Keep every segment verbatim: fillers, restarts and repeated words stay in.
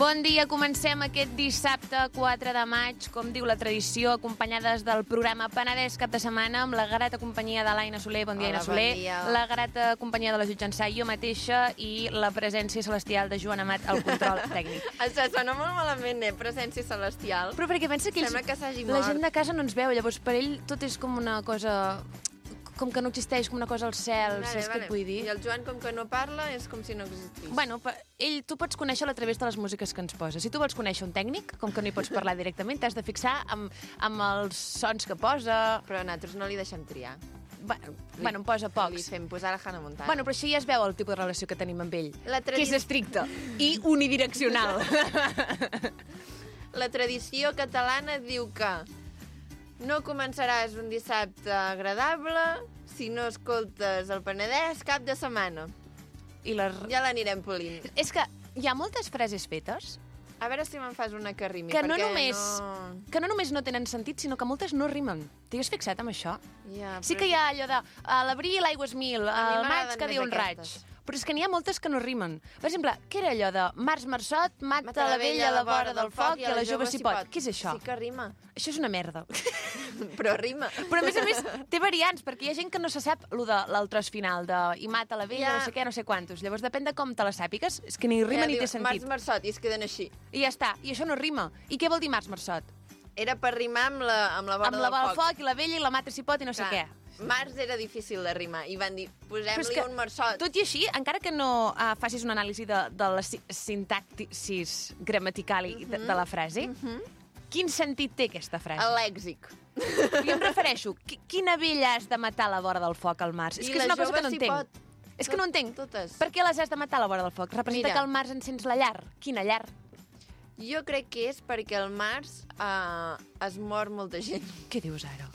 Bon dia, comencem aquest dissabte quatre de maig, com diu la tradició, acompanyades del programa Penedès Cap de Setmana, amb la grata companyia de l'Aina Soler, bon dia, Hola, Aina Soler, bon dia. la grata companyia de la Jutjançà, jo mateixa, i la presència celestial de Joan Amat al control tècnic. Això sona molt malament, eh? Presència celestial. Però perquè pensa que ells, Sembla que s'hagi la mort. gent de casa no ens veu, llavors per ell tot és com una cosa... com que no existeix, com una cosa al cel, Vale, saps vale. què et vull dir? I el Joan, com que no parla, és com si no existís. Bueno, pa- ell, tu pots conèixer-lo a través de les músiques que ens posa. Si tu vols conèixer un tècnic, com que no hi pots parlar directament, t'has de fixar amb, amb els sons que posa... Però nosaltres no li deixem triar. Bueno, bueno, em posa Li pocs. fem posar la Hannah Montana. Bueno, però això ja es veu el tipus de relació que tenim amb ell, La que és tradi- estricta i unidireccional. La tradició catalana diu que no començaràs un dissabte agradable si no escoltes el Penedès cap de setmana. I les... Ja l'anirem polint. És que hi ha moltes frases fetes A veure si me'n fas una que rimi, que no, perquè només, no... que no només no tenen sentit, sinó que moltes no rimen. T'hi has fixat amb això? Ja, Sí però que hi ha allò de a l'abril l'aigua és mil, mi al maig m'agraden que més diu un raig. aquestes. Però és que n'hi ha moltes que no rimen. Per exemple, què era allò de març marçot, mata la vella a la vora del foc i a la jove s'hi pot? Què és això? Sí que rima, Això és una merda. però rima. Però a més a més té variants, perquè hi ha gent que no se sap lo de l'altres final, de i mata la vella, Ja. no sé què, no sé quantos. Llavors depèn de com te la sàpigues, és que ni rima ni diu, té sentit. Març marçot, i es queden així. I ja està, i això no rima. I què vol dir març marçot? Era per rimar amb la, amb la vora Amb la del del foc. foc i la vella i la mata s'hi pot i no sé Clar, què. Març era difícil de rimar, i van dir, Però és posem-li que, un marçot. tot i així, encara que no uh, facis una anàlisi de, de la si- sintactis gramatical i de, de la frase, quin sentit té aquesta frase? El lèxic. Jo em refereixo, qui- quina vella has de matar a la vora del foc al març? És I que és la una cosa jove que no s'hi entenc. pot. És que no Tot- entenc. totes. Per què les has de matar a la vora del foc? Representa Mira. que al març encens la llar. Quina llar? Jo crec que és perquè al març uh, es mor molta gent. Què dius ara?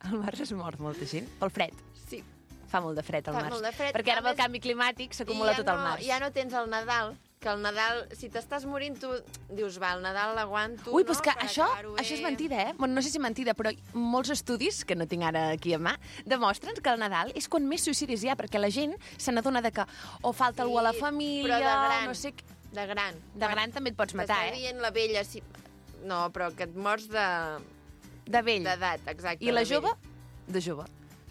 Al març es mor molta gent? Pel fred. Sí. Fa molt de fred al Fa març. molt de fred. Perquè ara A amb el més- canvi climàtic s'acumula I ja tot al no, març. Ja no tens el Nadal, que el Nadal, si t'estàs morint, tu dius, va, el Nadal l'aguanto, Ui, no? però és que Per això, acabar-ho això és bé. mentida, eh? Bueno, no sé si és mentida, però molts estudis, que no tinc ara aquí a mà, demostren que el Nadal és quan més suïcidis hi ha, perquè la gent se n'adona de que o falta algú a la Sí, família, però de gran. no sé... què. De gran. De gran també et pots matar, T'està eh? dient la vella, si... No, però que et mors de... De vell. d'edat, exacte. I la de vell. jove? De jove.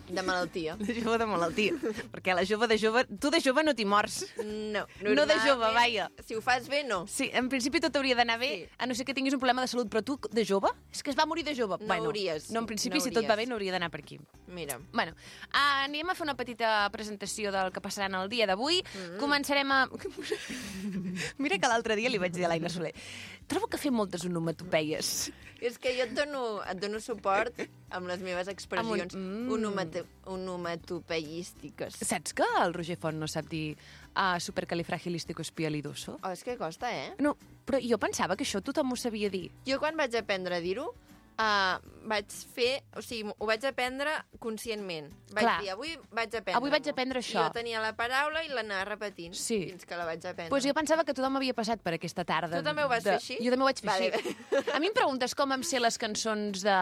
De malaltia. De jove de malaltia. Perquè la jove de jove... Tu de jove no t'hi mors. No. No de jove, normalment, vaja. Si ho fas bé, no. Sí, en principi tot hauria d'anar bé, Sí. a no ser que tinguis un problema de salut, però tu de jove? És que es va morir de jove. No bueno, hauries, No, en principi, no si tot va hauries. bé, no hauria d'anar per aquí. Mira. Bueno, uh, anem a fer una petita presentació del que passarà en el dia d'avui. Mm. Començarem a... Mira que l'altre dia li vaig dir a l'Aina Soler, trobo que fer moltes onomatopeies. És que jo et dono, et dono suport amb les meves expressions Amb un- un... mm. onomatopeístiques. Saps que el Roger Font no sap dir uh, supercalifragilisticoespialidoso? Oh, és que costa, eh? No, però jo pensava que això tothom ho sabia dir. Jo quan vaig aprendre a dir-ho, uh, vaig fer... O sigui, ho vaig aprendre conscientment. Vaig Clar. dir, avui vaig aprendre. Avui vaig aprendre això. Jo tenia la paraula i l'anava repetint Sí. fins que la vaig aprendre. Pues jo pensava que tothom havia passat per aquesta tarda. Tu també ho vas de... fer així? Jo també ho vaig fer Vale. així. A mi em preguntes com em sé les cançons de,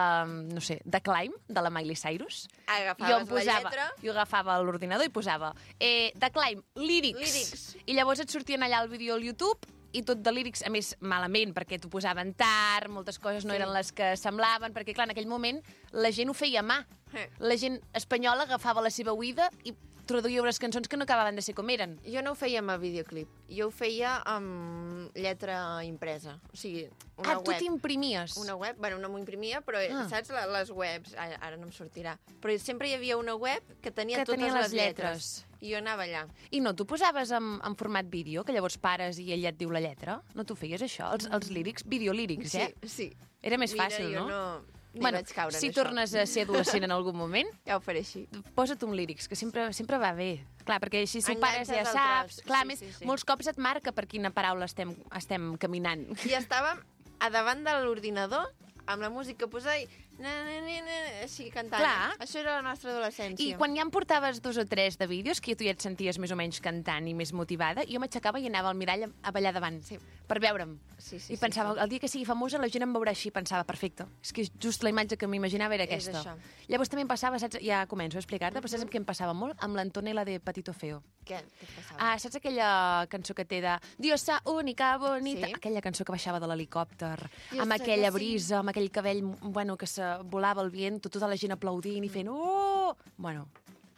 no sé, de Climb, de la Miley Cyrus? Agafaves jo em posava, la lletra... Jo agafava l'ordinador i posava eh, de Climb, lírics. Lírics. I llavors et sortien allà el vídeo al YouTube i tot de lírics, a més, malament, perquè t'ho posaven tard, moltes coses no Sí. eren les que semblaven, perquè, clar, en aquell moment la gent ho feia a mà. Eh. La gent espanyola agafava la seva oïda i traduïa unes cançons que no acabaven de ser com eren. Jo no ho feia amb el videoclip, jo ho feia amb lletra impresa. O sigui, una ah, tu web. t'imprimies. Una web, bueno, no m'ho imprimia, però Ah. ah. saps la- les webs? Ara, ara no em sortirà. Però sempre hi havia una web que tenia Que totes tenia les les lletres. lletres. I jo anava allà. I no, tu posaves en, en format vídeo, que llavors pares i ella et diu la lletra? No t'ho feies, això? Els, els lírics, videolírics, Sí, eh? sí. Era més Mira, fàcil, jo no? no... Ni bueno, vaig caure si en això. tornes a ser adolescent en algun moment, Ja ho faré així. posa't un lírics, que sempre, sempre va bé. Clar, perquè així si ho pares Enganxes ja el saps. tros. Clar, Sí, més, sí, sí. molts cops et marca per quina paraula estem, estem caminant. I estava a davant de l'ordinador amb la música posar i na, na, na, na, així cantant. Clar. Això era la nostra adolescència. I quan ja em portaves dos o tres de vídeos, que tu ja et senties més o menys cantant i més motivada, jo m'aixecava i anava al mirall a ballar davant, Sí. per veure'm. Sí, sí, I pensava, sí, sí. el dia que sigui famosa la gent em veurà així. Pensava, perfecte. És que just la imatge que m'imaginava era És aquesta. això. Llavors també em passava, saps, ja començo a explicar-te, però saps què em passava molt? Amb l'Antonella de Patito Feo. Què? Què et passava? Ah, saps aquella cançó que té de Diosa única, bonita? Sí. Aquella cançó que baixava de l'helicòpter, Diosa amb que aquella sí. brisa, amb aquell cabell, bueno, que se volava al vent, tota la gent aplaudint i fent oh! Bueno,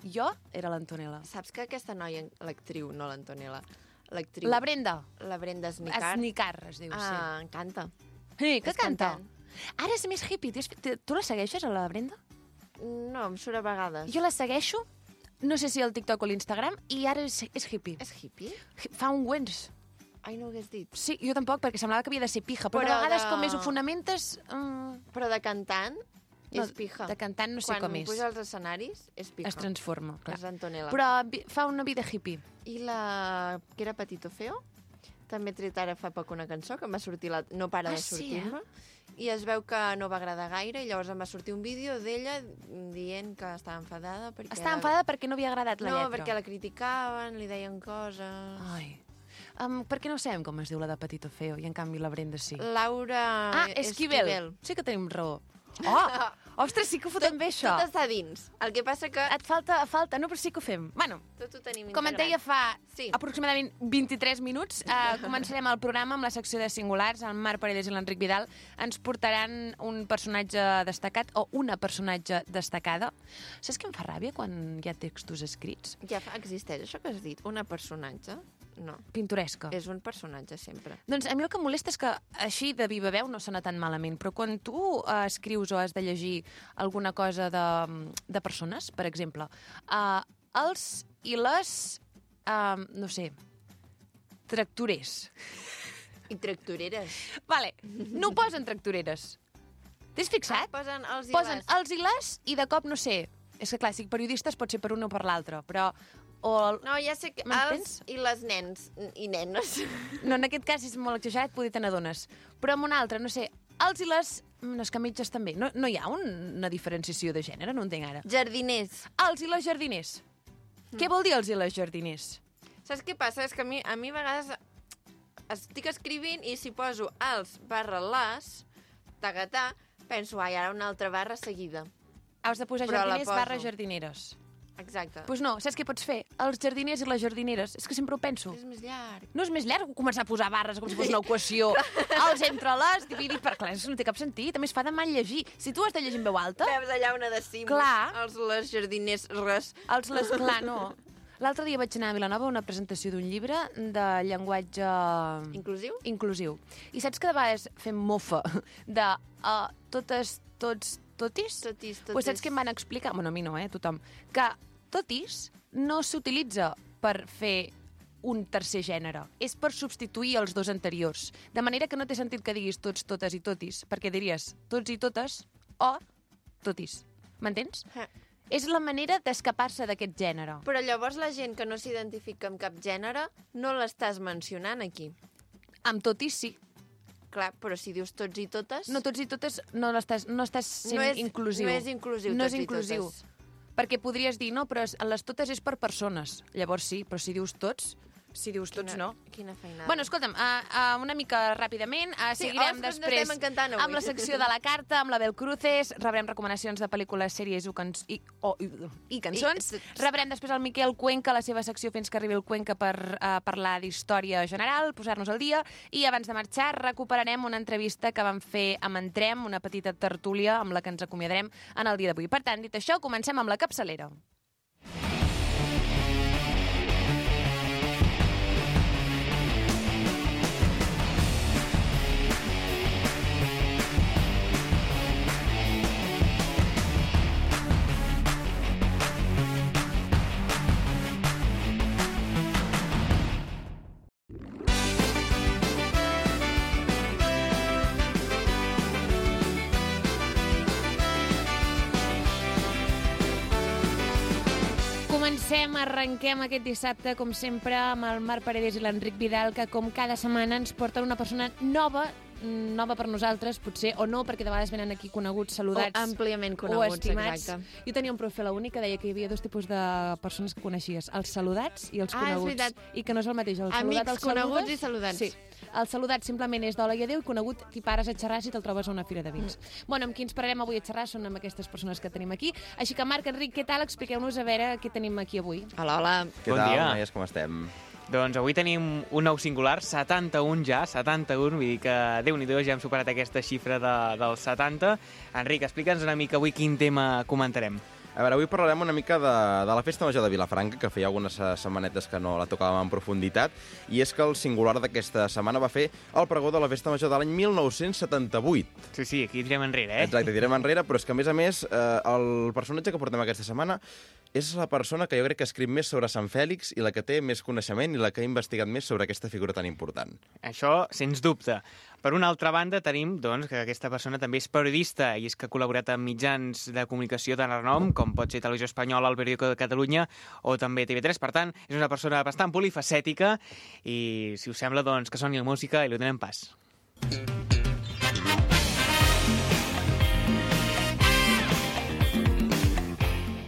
jo era l'Antonella. Saps que aquesta noia, l'actriu, no l'Antonella, l'actriu... La Brenda. La Brenda Snicar. Snicar, es diu, Ah, canta. sí. Sí, que és canta? cantant. Ara és més hippie. Tu, has- tu la segueixes, a la Brenda? No, em surt a vegades. Jo la segueixo, no sé si al TikTok o l'Instagram, i ara és, és hippie. És hippie? Fa un wens. Ai, no ho hagués dit. Sí, jo tampoc, perquè semblava que havia de ser pija, però, Però a vegades de- com més ho fonamentes... Mm, Però de cantant no, és pija. de cantant no sé Quan com és. puja als escenaris és pija. Es transforma, clar. És Antonella. Però vi- fa una vida hippie. I la que era Patito Feo, també he tret ara fa poc una cançó que em va sortir, la... no para Ah, de sí, sortir-me, i es veu que no va agradar gaire, i llavors em va sortir un vídeo d'ella dient que estava enfadada perquè... Estava la- enfadada perquè no havia agradat la no, lletra. perquè la criticaven, li deien coses... Ai. Um, per què no sabem com es diu la de Patito Feo i en canvi la Brenda sí? Laura Ah, Esquivel. Sí que tenim raó. Oh! Ostres, sí que ho fotem bé, això. Tot està dins. El que passa que Et falta, falta, no, però sí que ho fem. Bueno, tot ho tenim com et integrat. deia fa Sí. aproximadament vint-i-tres minuts, eh, començarem el programa amb la secció de singulars. El Marc Paredes i l'Enric Vidal ens portaran un personatge destacat o una personatge destacada. Saps què em fa ràbia quan hi ha textos escrits? Ja fa, existeix això que has dit, una personatge? No, Pintoresca. és un personatge sempre. Doncs a mi el que em molesta és que així de viva veu no sona tan malament, però quan tu eh, escrius o has de llegir alguna cosa de, de persones, per exemple, eh, els i les, eh, no sé, tractorers. I tractoreres. Vale, no ho posen tractoreres. T'has fixat? Posen els i Posen les. els i les i de cop, no sé, és que clar, si periodistes pot ser per un o per l'altre, però... O el... No, ja sé que M'entens? els i les nens i nenes. No, en aquest cas és molt exagerat, poder te n'adones. Però amb un altre, no sé, els i les... No, és que mitges també. No, no hi ha un, una diferenciació de gènere, no entenc ara. Jardiners. Els i les jardiners. Mm. Què vol dir els i les jardiners? Saps què passa? És que a mi, a mi a vegades estic escrivint i si poso els barra les, tagatà, penso, ai, ara una altra barra seguida. Has de posar Però la jardiners poso. barra jardineres. Exacte. Doncs pues no, saps què pots fer? Els jardiners i les jardineres. És que sempre ho penso. És més llarg. No és més llarg començar a posar barres com si fos una equació. Els entre les, dividit per... Clar, això no té cap sentit. A més, fa de mal llegir. Si tu has de llegir en veu alta, Veus allà una de cims. Clar. Els les jardiners res. els les... Clar, no. L'altre dia vaig anar a Vilanova a una presentació d'un llibre de llenguatge... Inclusiu? Inclusiu. I saps que de vegades fem mofa de uh, totes, tots, totis? Totis, totis. Pues saps què em van explicar? Bueno, a mi no, eh, tothom. Que totis no s'utilitza per fer un tercer gènere. És per substituir els dos anteriors. De manera que no té sentit que diguis tots, totes i totis, perquè diries tots i totes o totis. M'entens? Eh. És la manera d'escapar-se d'aquest gènere. Però llavors la gent que no s'identifica amb cap gènere no l'estàs mencionant aquí. Amb totis sí. Clar, però si dius tots i totes... No tots i totes no estàs, no estàs sent no és, inclusiu. No és inclusiu, No tots és inclusiu. i totes. Perquè podries dir, no, però es- les totes és per persones. Llavors sí, però si dius tots, si dius tots Quina- no. Quina feinada. Bueno, escolta'm, uh, uh, una mica ràpidament, uh, Sí, seguirem oh, després n'estem encantant avui. amb la secció de la carta, amb la Bel Cruces, rebrem recomanacions de pel·lícules, sèries o cans i, o, i, i cançons. I- Rebrem després el Miquel Cuenca, la seva secció Fins que arribi el Cuenca per uh, parlar d'història general, posar-nos al dia, i abans de marxar recuperarem una entrevista que vam fer amb Entrem, una petita tertúlia amb la que ens acomiadarem en el dia d'avui. Per tant, dit això, comencem amb la capçalera. Comencem, arrenquem aquest dissabte, com sempre, amb el Marc Paredes i l'Enric Vidal, que com cada setmana ens porten una persona nova nova per nosaltres, potser, o no, perquè de vegades venen aquí coneguts, saludats... O àmpliament o coneguts, estimats. exacte. Jo tenia un profe a la uni que deia que hi havia dos tipus de persones que coneixies, els saludats i els Ah, és coneguts. veritat. I que no és el mateix. El Amics, saludat, el coneguts saludes, i saludats. Sí. El saludat simplement és d'hola i adéu, i conegut t'hi pares a xerrar si te'l trobes a una fira de vins. Mm. Bueno, amb qui ens pararem avui a xerrar són amb aquestes persones que tenim aquí. Així que, Marc, Enric, què tal? Expliqueu-nos a veure què tenim aquí avui. Hola, hola. Què Bon tal, dia. noies, com estem? Doncs avui tenim un nou singular, setanta-un ja, setanta-un, vull dir que Déu-n'hi-do, ja hem superat aquesta xifra de, dels setanta. Enric, explica'ns una mica avui quin tema comentarem. A veure, avui parlarem una mica de, de la Festa Major de Vilafranca, que feia algunes setmanetes que no la tocàvem en profunditat, i és que el singular d'aquesta setmana va fer el pregó de la Festa Major de l'any mil nou-cents setanta-vuit. Sí, sí, aquí direm enrere, eh? Exacte, direm enrere, però és que, a més a més, eh, el personatge que portem aquesta setmana és la persona que jo crec que ha escrit més sobre Sant Fèlix i la que té més coneixement i la que ha investigat més sobre aquesta figura tan important. Això, sens dubte. Per una altra banda, tenim doncs, que aquesta persona també és periodista i és que ha col·laborat amb mitjans de comunicació de renom, com pot ser Televisió Espanyola, El Periódico de Catalunya o també T V tres. Per tant, és una persona bastant polifacètica i, si us sembla, doncs, que soni la música i li donem pas.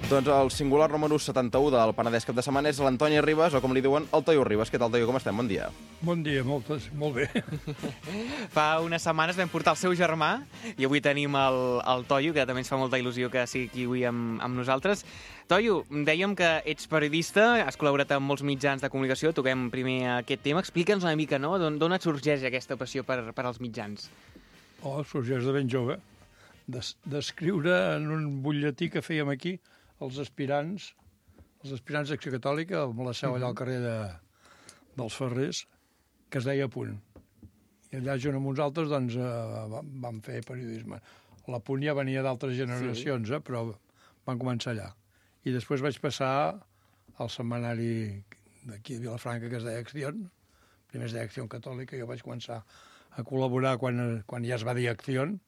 Doncs el singular número setanta-u del Penedès cap de setmana és l'Antoni Ribas, o com li diuen, el Toio Ribas. Què tal, Toio? Com estem? Bon dia. Bon dia, moltes, molt bé. Fa unes setmanes vam portar el seu germà i avui tenim el, el Toio, que també ens fa molta il·lusió que sigui aquí avui amb, amb nosaltres. Toio, dèiem que ets periodista, has col·laborat amb molts mitjans de comunicació, toquem primer aquest tema. Explica'ns una mica, no?, d'on et sorgeix aquesta passió per, per als mitjans. Oh, sorgeix de ben jove, d'escriure en un butlletí que fèiem aquí, els aspirants, els aspirants d'Acció Catòlica, amb la seu allà al carrer de, dels Ferrers, que es deia Punt. I allà, junt amb uns altres, doncs, eh, vam fer periodisme. La Punt ja venia d'altres generacions, sí. eh, però van començar allà. I després vaig passar al setmanari d'aquí de Vilafranca, que es deia Acción. Primer es deia Acció Catòlica, jo vaig començar a col·laborar quan, quan ja es va dir Acción,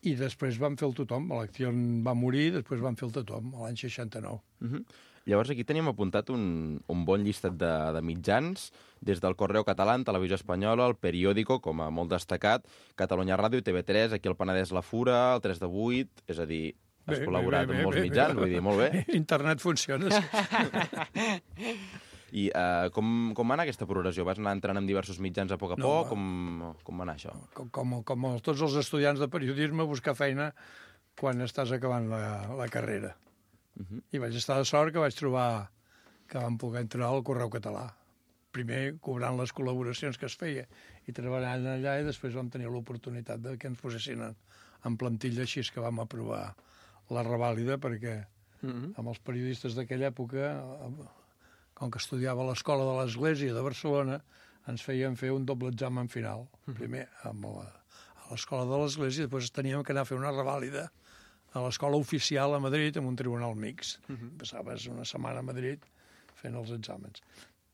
i després vam fer el tothom. L'Acció va morir, després vam fer el tothom, l'any seixanta-nou. Uh -huh. Llavors aquí tenim apuntat un, un bon llistat de, de mitjans, des del Correu Català, Televisió Espanyola, el Periódico, com a molt destacat, Catalunya Ràdio, T V tres, aquí al Penedès La Fura, el tres de vuit, és a dir, has bé, col·laborat bé, bé, amb molts bé, mitjans, bé. Vull dir, molt bé. Internet funciona. I uh, com, com va anar aquesta progressió? Vas anar entrant en diversos mitjans a poc a no, poc? Com, com va anar això? Com, com, com tots els estudiants de periodisme, buscar feina quan estàs acabant la, la carrera. Uh -huh. I vaig estar de sort que vaig trobar que vam poder entrar al Correu Català. Primer cobrant les col·laboracions que es feia i treballant allà, i després vam tenir l'oportunitat de que ens posessin en, en plantilla, així que vam aprovar la revàlida, perquè uh -huh. amb els periodistes d'aquella època, com que estudiava a l'Escola de l'Església de Barcelona, ens feien fer un doble examen final. Primer amb la, a l'Escola de l'Església, després teníem que anar a fer una revàlida a l'Escola Oficial a Madrid, amb un tribunal mixt. Uh -huh. Passaves una setmana a Madrid fent els exàmens.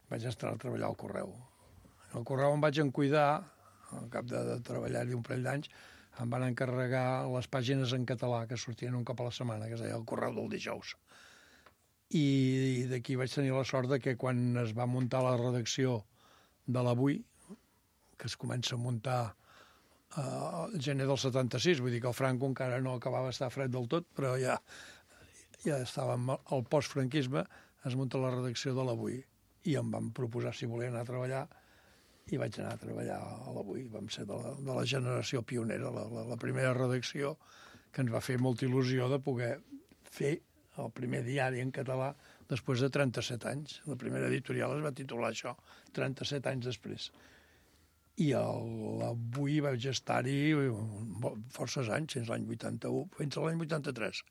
Vaig estar a treballar al Correu. Al Correu em vaig encuidar, al cap de, de treballar-hi un parell d'anys, em van encarregar les pàgines en català que sortien un cop a la setmana, que es deia el Correu del dijous. I d'aquí vaig tenir la sort de que quan es va muntar la redacció de l'Avui, que es comença a muntar al uh, gener del setanta-sis, vull dir que el Franco encara no acabava d'estar fred del tot, però ja, ja estàvem al postfranquisme, es munta la redacció de l'Avui, i em van proposar si volia anar a treballar, i vaig anar a treballar a l'Avui. Vam ser de la, de la generació pionera, la, la, la primera redacció, que ens va fer molta il·lusió de poder fer el primer diari en català després de trenta-set anys. La primera editorial es va titular això, trenta-set anys després. I l'Avui vaig estar-hi forces anys, fins l'any vuitanta-u, fins a l'any vuitanta-tres.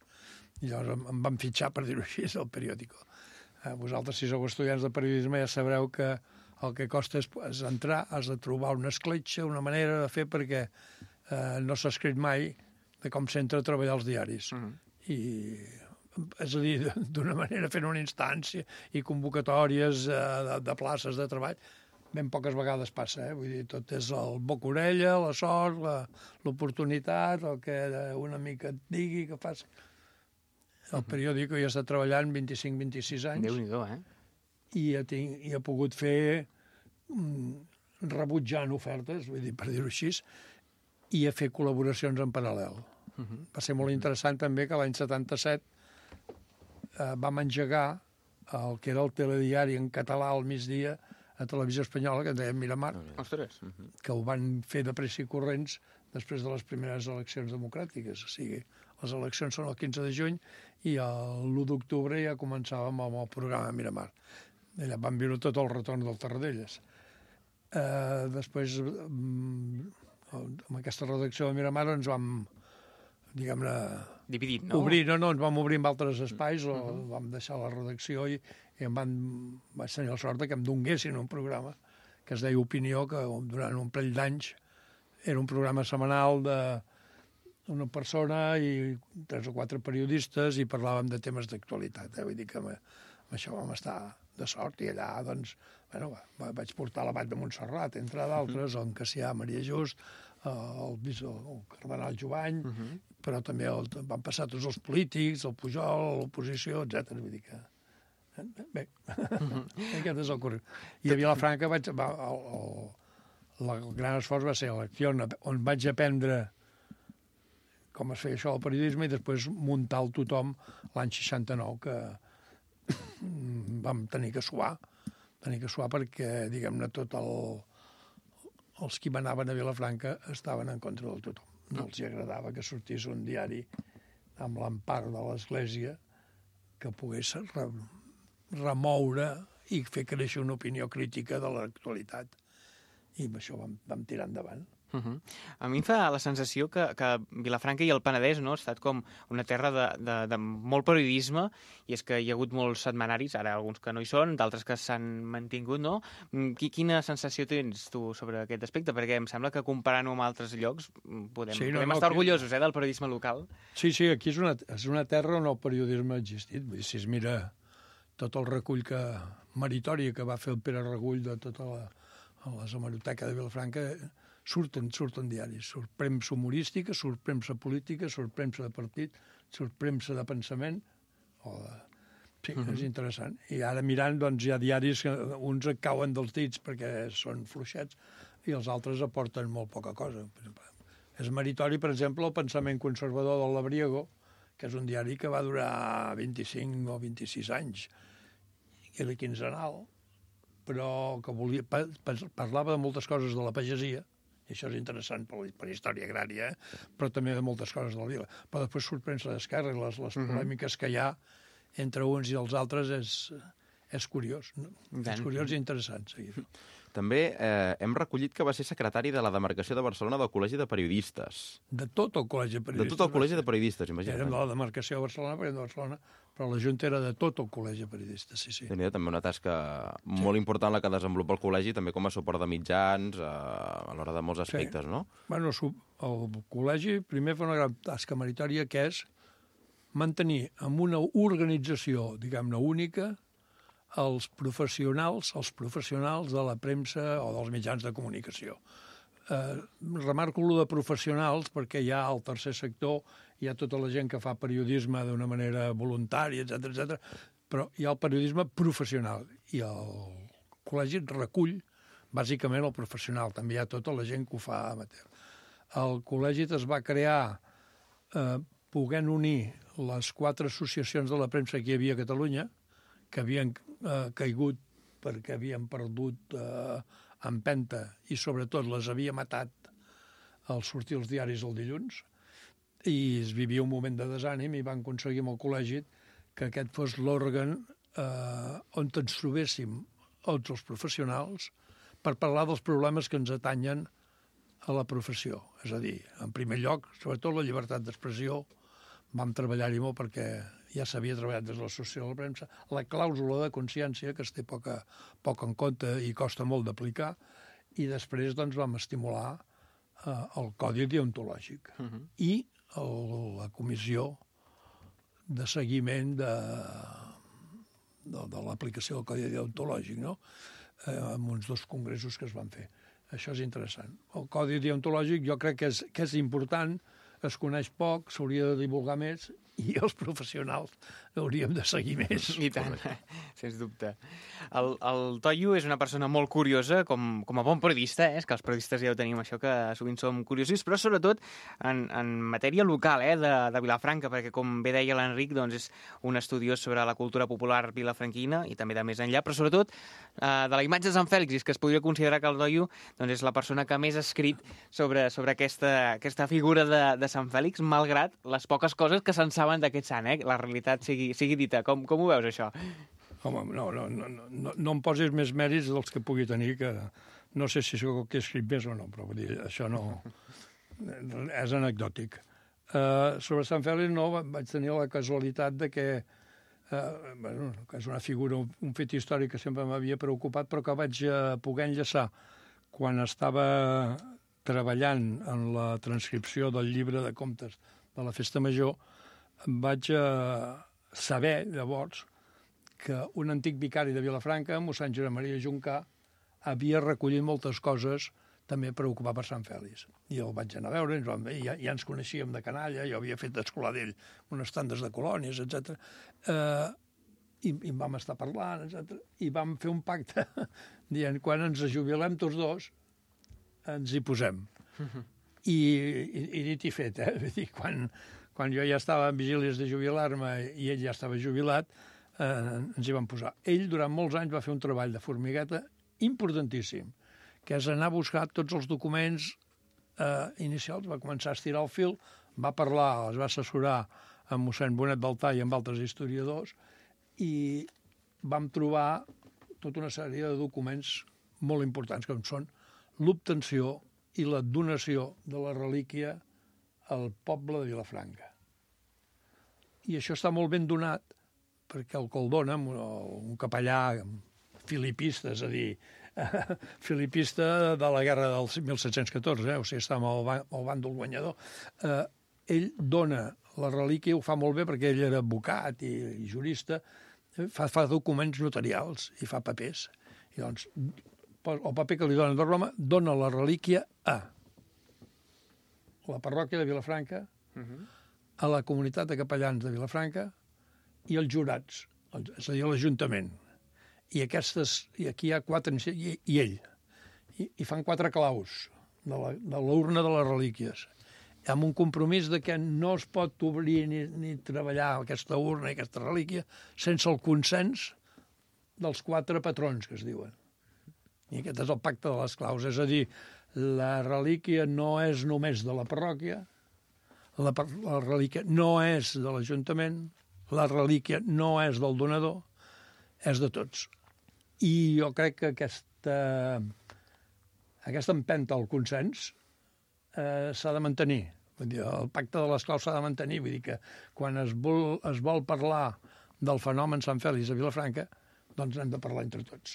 I llavors em van fitxar, per dir-ho així, al Periódico. Vosaltres, si sou estudiants de periodisme, ja sabreu que el que costa és, és entrar, has de trobar una escletxa, una manera de fer, perquè eh, no s'ha escrit mai de com s'entra a treballar als diaris. Uh -huh. I, és a dir, d'una manera fent una instància i convocatòries eh, de, de places de treball, ben poques vegades passa, eh? Vull dir, tot és el boca-orella, la sort, l'oportunitat, el que una mica et digui que faci. El Periódico ja està treballant vint-i-cinc vint-i-sis anys. Déu-n'hi-do, eh? I he, tinc, i he pogut fer mm, rebutjant ofertes, vull dir, per dir-ho així, i a fer col·laboracions en paral·lel. Uh-huh. Va ser molt interessant també que l'any setanta-set eh, vam engegar el que era el telediari en català al migdia a Televisió Espanyola, que en deien Miramar, Ostres. Uh-huh. que ho van fer de pressa i corrents després de les primeres eleccions democràtiques. O sigui, les eleccions són el quinze de juny i l'u d'octubre ja començàvem amb el programa Miramar. Allà vam viure tot el retorn del Tarradellas. Eh, després, amb aquesta redacció de Miramar ens vam, diguem-ne, dividit, no? Obrir, no, no, ens vam obrir en altres espais, o uh-huh. vam deixar la redacció i, i em van, vaig tenir la sort que em donguessin un programa que es deia Opinió, que durant un parell d'anys era un programa setmanal d'una persona i tres o quatre periodistes i parlàvem de temes d'actualitat. Eh? Vull dir que amb, amb això vam estar de sort i allà, doncs, bueno, va, vaig portar l'abat de Montserrat, entre d'altres, uh-huh. on Cassià, Maria Just, el, el, el cardenal Jovany, uh-huh. però també el, van passar tots els polítics, el Pujol, l'oposició, etcètera. Vull dir que... Bé, uh-huh. aquest és el currículum. I a Vilafranca vaig, va, el, el, el gran esforç va ser l'acció on vaig aprendre com es feia això del periodisme i després muntar el tothom l'any seixanta-nou, que vam tenir que suar, tenir que suar perquè, diguem-ne, tot el, els qui manaven a Vilafranca estaven en contra del tothom. No els agradava que sortís un diari amb l'empart de l'Església que pogués re, remoure i fer créixer una opinió crítica de l'actualitat. I amb això vam, vam tirar endavant. Uh-huh. A mi em fa la sensació que, que Vilafranca i el Penedès, no, ha estat com una terra de, de, de molt periodisme, i és que hi ha hagut molts setmanaris, ara alguns que no hi són, d'altres que s'han mantingut, no? Quina sensació tens tu sobre aquest aspecte? Perquè em sembla que comparant-ho amb altres llocs podem, sí, no, podem no, estar orgullosos eh, del periodisme local. Sí, sí, aquí és una, és una terra on el periodisme ha existit. Vull dir, si es mira tot el recull que, meritori que va fer el Pere Regull de tota la, la hemeroteca de Vilafranca, surten, surten diaris, surt premsa humorística, surt premsa política, surt premsa de partit, surt premsa de pensament, o de... Sí, uh-huh. és interessant. I ara mirant, doncs, hi ha diaris que uns et cauen dels dits perquè són fluixets i els altres aporten molt poca cosa. És meritori, per exemple, el pensament conservador del Labriego, que és un diari que va durar vint-i-cinc o vint-i-sis anys, i era quinzenal, però que volia, parlava de moltes coses de la pagesia, i això és interessant per, per història agrària, eh? Però també de moltes coses de la vila. Però després surt premsa d'esquerra i les, les uh-huh. polèmiques que hi ha entre uns i els altres és, és curiós. No? És curiós i interessant seguir. També eh, hem recollit que va ser secretari de la demarcació de Barcelona del Col·legi de Periodistes. De tot el Col·legi de Periodistes. De tot el Col·legi de Periodistes, imagina't. Érem de la demarcació de Barcelona, perquè érem de Barcelona, però la Junta era de tot el Col·legi de Periodistes, sí, sí. Tenia també una tasca sí. molt important la que desenvolupa el col·legi, també com a suport de mitjans, eh, a l'hora de molts aspectes, sí. no? Bueno, el col·legi primer fa una gran tasca meritòria, que és mantenir en una organització, diguem-ne, única, els professionals, els professionals de la premsa o dels mitjans de comunicació. Eh, remarco lo de professionals perquè hi ha al tercer sector, hi ha tota la gent que fa periodisme d'una manera voluntària, etcètera, etcètera, però hi ha el periodisme professional i el col·legi recull bàsicament el professional, també hi ha tota la gent que ho fa amateur. El col·legi es va crear eh, podent unir les quatre associacions de la premsa que hi havia a Catalunya, que havien eh, caigut perquè havien perdut eh, empenta i sobretot les havia matat al sortir els diaris el dilluns, i es vivia un moment de desànim i van aconseguir amb el col·legi que aquest fos l'òrgan eh, on ens trobéssim tots els professionals per parlar dels problemes que ens atanyen a la professió. És a dir, en primer lloc, sobretot la llibertat d'expressió, vam treballar-hi molt perquè ja s'havia treballat des de l'associació de la premsa, la clàusula de consciència, que es té poca, poc en compte i costa molt d'aplicar, i després doncs, vam estimular eh, el codi deontològic uh-huh. i el, la comissió de seguiment de, de, de l'aplicació del codi deontològic, no? eh, amb uns dos congressos que es van fer. Això és interessant. El codi deontològic jo crec que és, que és important es coneix poc, s'hauria de divulgar més, i els professionals hauríem de seguir més. I tant, sens dubte. El, el Toyo és una persona molt curiosa, com, com a bon periodista, eh? És que els periodistes ja ho tenim això, que sovint som curiosos, però sobretot en, en matèria local, eh? de, de Vilafranca, perquè com bé deia l'Enric, doncs és un estudiós sobre la cultura popular vilafranquina i també de més enllà, però sobretot eh, de la imatge de Sant Fèlix, i és que es podria considerar que el Toyo doncs, és la persona que més ha escrit sobre, sobre aquesta, aquesta figura de, de Sant Fèlix, malgrat les poques coses que se'n saben d'aquest sant, eh? La realitat sigui, sigui dita. Com, com ho veus, això? Home, no, no, no, no, no em posis més mèrits dels que pugui tenir, que no sé si sóc el que he escrit més o no, però vull dir, això no... és anecdòtic. Uh, sobre Sant Fèlix no, vaig tenir la casualitat de que, uh, bueno, que és una figura, un, un fet històric que sempre m'havia preocupat, però que vaig uh, poder enllaçar quan estava treballant en la transcripció del llibre de contes de la Festa Major. Vaig uh, saber, llavors, que un antic vicari de Vilafranca, mossèn Josep Maria Juncà, havia recollit moltes coses també per ocupar per Sant Fèlix. I el vaig anar a veure, ens vam, ja, ja ens coneixíem de canalla, jo havia fet d'escolar d'ell unes tandes de colònies, etcètera. Eh, i, I em vam estar parlant, etcètera. I vam fer un pacte dient, quan ens jubilem tots dos, ens hi posem. I, i, i dit i fet, eh? Vull dir, quan, quan jo ja estava en vigílies de jubilar-me i ell ja estava jubilat, eh, ens hi vam posar. Ell, durant molts anys, va fer un treball de formigueta importantíssim, que és anar a buscar tots els documents eh, inicials, va començar a estirar el fil, va parlar, es va assessorar amb mossèn Bonet d'Altar i amb altres historiadors, i vam trobar tota una sèrie de documents molt importants, com són l'obtenció i la donació de la relíquia al poble de Vilafranca. I això està molt ben donat, perquè el que el dona, un capellà filipista, és a dir, filipista de la guerra del mil set-cents catorze, eh? O sigui, està amb el, el bàndol guanyador, eh, ell dona la relíquia, ho fa molt bé perquè ell era advocat i, i jurista, fa, fa documents notarials i fa papers. I doncs, el paper que li donen de Roma dona la relíquia a la parròquia de Vilafranca, uh-huh. a la comunitat de capellans de Vilafranca i els jurats, és a dir, l'Ajuntament. I, aquestes, i aquí hi ha quatre, i, i ell. I, I fan quatre claus de la, de l'urna de les relíquies, amb un compromís de que no es pot obrir ni, ni treballar aquesta urna i aquesta relíquia sense el consens dels quatre patrons, que es diuen. I aquest és el pacte de les claus. És a dir, la relíquia no és només de la parròquia, la, la relíquia no és de l'Ajuntament, la relíquia no és del donador, és de tots. I jo crec que aquesta, aquesta empenta al consens eh, s'ha de mantenir. Vull dir, el pacte de les claus s'ha de mantenir. Vull dir que quan es vol, es vol parlar del fenomen Sant Fèlix a Vilafranca, doncs hem de parlar entre tots.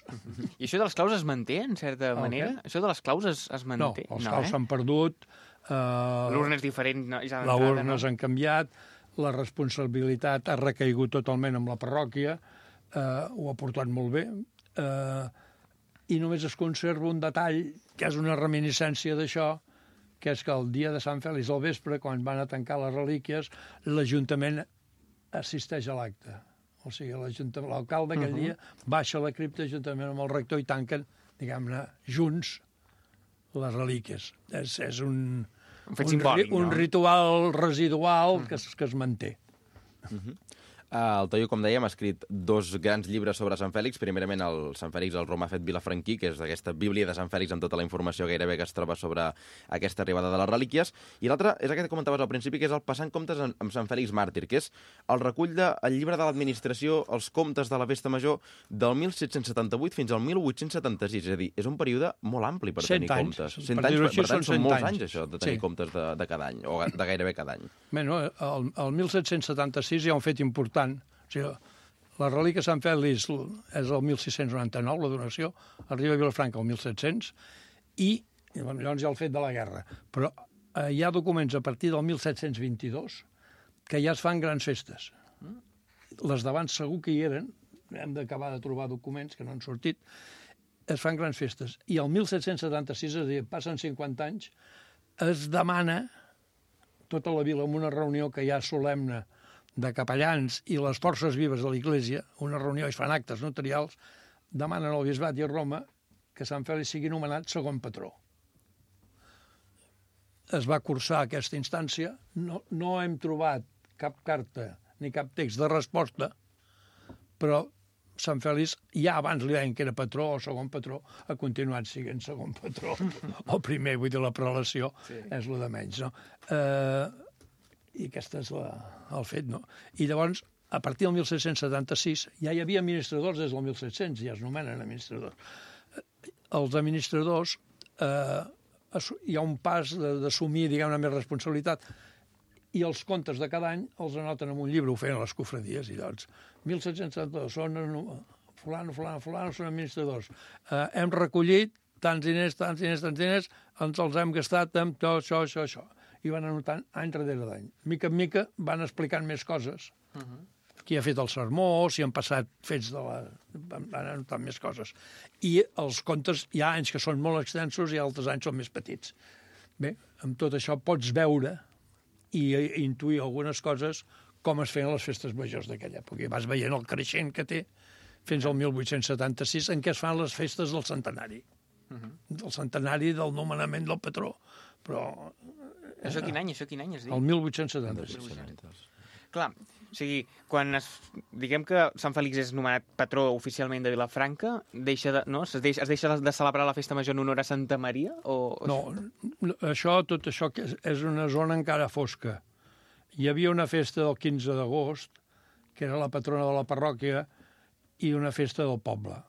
I això de les claus es manté, en certa El manera? què? Això de les claus es, es manté? No, els no, claus eh? s'han perdut. Eh, L'urna és diferent. No, ja les d'entrada, urnes no? han canviat, la responsabilitat ha recaigut totalment amb la parròquia, eh, ho ha portat molt bé, eh, i només es conserva un detall, que és una reminiscència d'això, que és que el dia de Sant Fèlix al vespre, quan van a tancar les relíquies, l'Ajuntament assisteix a l'acte. O sigui, l'alcalde aquell uh-huh. dia baixa a la cripta juntament amb el rector i tanquen, diguem-ne, junts les relíquies. És, és un, un fet un, simbòlic, ri, un no? ritual residual uh-huh. que, es, que es manté. Uh-huh. Uh, el Toyo, com dèiem, ha escrit dos grans llibres sobre Sant Fèlix. Primerament, el Sant Fèlix, el Romà fet vilafranquí, que és aquesta bíblia de Sant Fèlix amb tota la informació gairebé que es troba sobre aquesta arribada de les relíquies. I l'altre és aquest que comentaves al principi, que és el Passant comptes amb Sant Fèlix màrtir, que és el recull del llibre de l'administració, els comptes de la Festa Major, del mil set-cents setanta-vuit fins al mil vuit-cents setanta-sis. És a dir, és un període molt ampli per tenir anys. comptes. Per Cent anys, per, dir-ho així, per tant, són són molts cent anys, anys. això, de tenir Sí. comptes de, de cada any, o de gairebé cada any. Bé, no, el, el mil set-cents setanta-sis hi ha un fet important. O sigui, la relíquia Sant Fèlix és el mil sis-cents noranta-nou, la donació, arriba a Vilafranca el mil set-cents, i, i bueno, llavors hi ha el fet de la guerra. Però eh, hi ha documents a partir del mil set-cents vint-i-dos que ja es fan grans festes. Les d'abans segur que hi eren, hem d'acabar de trobar documents que no han sortit, es fan grans festes. I el mil set-cents setanta-sis, és a dir, passen cinquanta anys, es demana tota la vila en una reunió que hi ha solemne de capellans i les forces vives de l'Església, una reunió i fan actes notarials, demanen al bisbat i a Roma que Sant Fèlix sigui nomenat segon patró. Es va cursar aquesta instància, no, no hem trobat cap carta ni cap text de resposta, però Sant Fèlix, ja abans li deien que era patró o segon patró, ha continuat sent segon patró. O primer, vull dir, la prelació sí. és el de menys, no? Eh, I aquest és la, el fet, no? I llavors, a partir del mil set-cents setanta-sis, ja hi havia administradors des del mil set-cents, ja es nomenen administradors. Els administradors, eh, hi ha un pas d'assumir, diguem-ne, més responsabilitat, i els comptes de cada any els anoten en un llibre, ho feien a les cofradies, i doncs, mil set-cents setanta-dos, són fulano, fulano, fulano, són administradors. Eh, hem recollit tants diners, tants diners, tants diners, ens els hem gastat amb tot això, això, això. I van anotant any darrere d'any. Mica en mica van explicant més coses. Uh -huh. Qui ha fet el sermó, si han passat fets de la... van anotant més coses. I els comptes, hi ha anys que són molt extensos i altres anys són més petits. Bé, amb tot això pots veure i intuir algunes coses com es feien les festes majors d'aquella època. I vas veient el creixent que té fins al mil vuit-cents setanta-sis, en què es fan les festes del centenari. Uh -huh. Del centenari del nomenament del patró. Però... Això quin any? Això quin any es diu? El mil vuit-cents setanta-sis. Clar, o sigui, quan es, diguem que Sant Fèlix és nomenat patró oficialment de Vilafranca, deixa de, no? es, deixa, es deixa de celebrar la festa major en honor a Santa Maria? O... No, això, tot això que és, és una zona encara fosca. Hi havia una festa del quinze d'agost, que era la patrona de la parròquia, i una festa del poble.